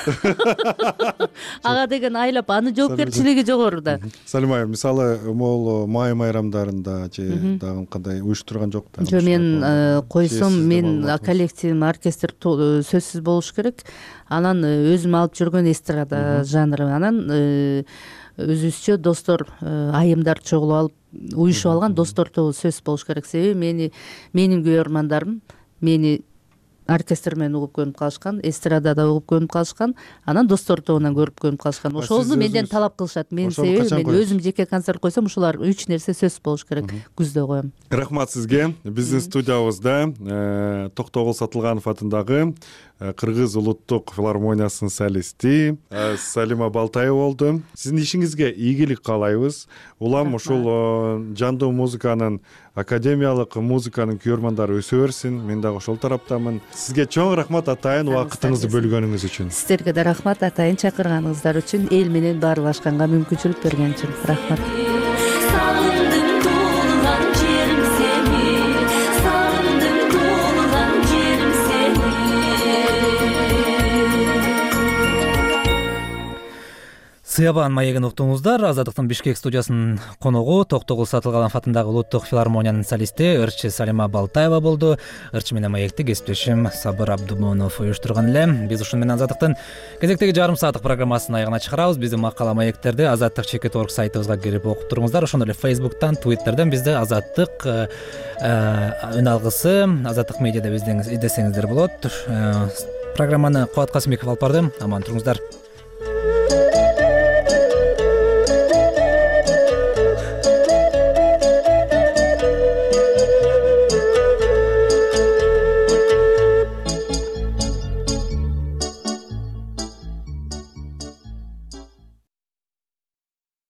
Ага деген айлап, анын жоопкерчилиги жогору да. Салим айым, мисалы могул май майрамдарында же дагы кандай уюштурган жок да? Жок, мен койсом, мен коллективим, оркестр сөзсүз болуш керек. Анан өзүм алып жүргөн эстрада жанры, анан өзүбүзчө достор, айымдар чогулуп алып, уюшуп алган достор тобу сөзсүз болуш керек. Себеби мени, менин көрөрмандарым мени оркестр менен угуп көнүп калышкан, эстрадада угуп көнүп калышкан, анан достор тобунан көрүп көнүп калышкан. Ошону менден талап кылышат. Мен себеби мен өзүм жеке концерт койсом ушулар үч нерсе сөзсүз болуш керек. Күздө коем. Рахмат сизге. Биздин студиябызда Токтогул Сатылганов атындагы Кыргыз улуттук филармониясынын солисти Салима Балтаева болду. Сиздин ишиңизге ийгилик каалайбыз. Улам ушул жандуу музыканын, академиялык музыканын күйөрмандары өсө берсин. Мен дагы ошол тараптамын. Сизге чоң рахмат атайын убакытыңызды бөлгөнүңүз үчүн. Сиздерге да рахмат атайын чакырганыңыздар үчүн, эл менен баарлашканга мүмкүнчүлүк берген үчүн. Рахмат. Сыябан маегин уктуңуздар. Азаттыктын Бишкек студиясынын коногу Токтогул Сатылганов атындагы улуттук филармониянын солисти ырчы Салима Балтаева болду. Ырчы менен маекти кесиптешим Сабыр Абдумонов уюштурган эле. Биз ушуну менен Азаттыктын кезектеги жарым сааттык программасын аягына чыгарабыз. Биздин макала маектерди Азаттык чекит точка орг сайтыбызга кирип окуп туруңуздар. Ошондой эле Facebook'тан, Twitter'дан бизди Азаттык үн алгысы, Азаттык медиада биздин издесеңиздер болот. Программаны Кубат Касымбеков алып барды. Аман туруңуздар.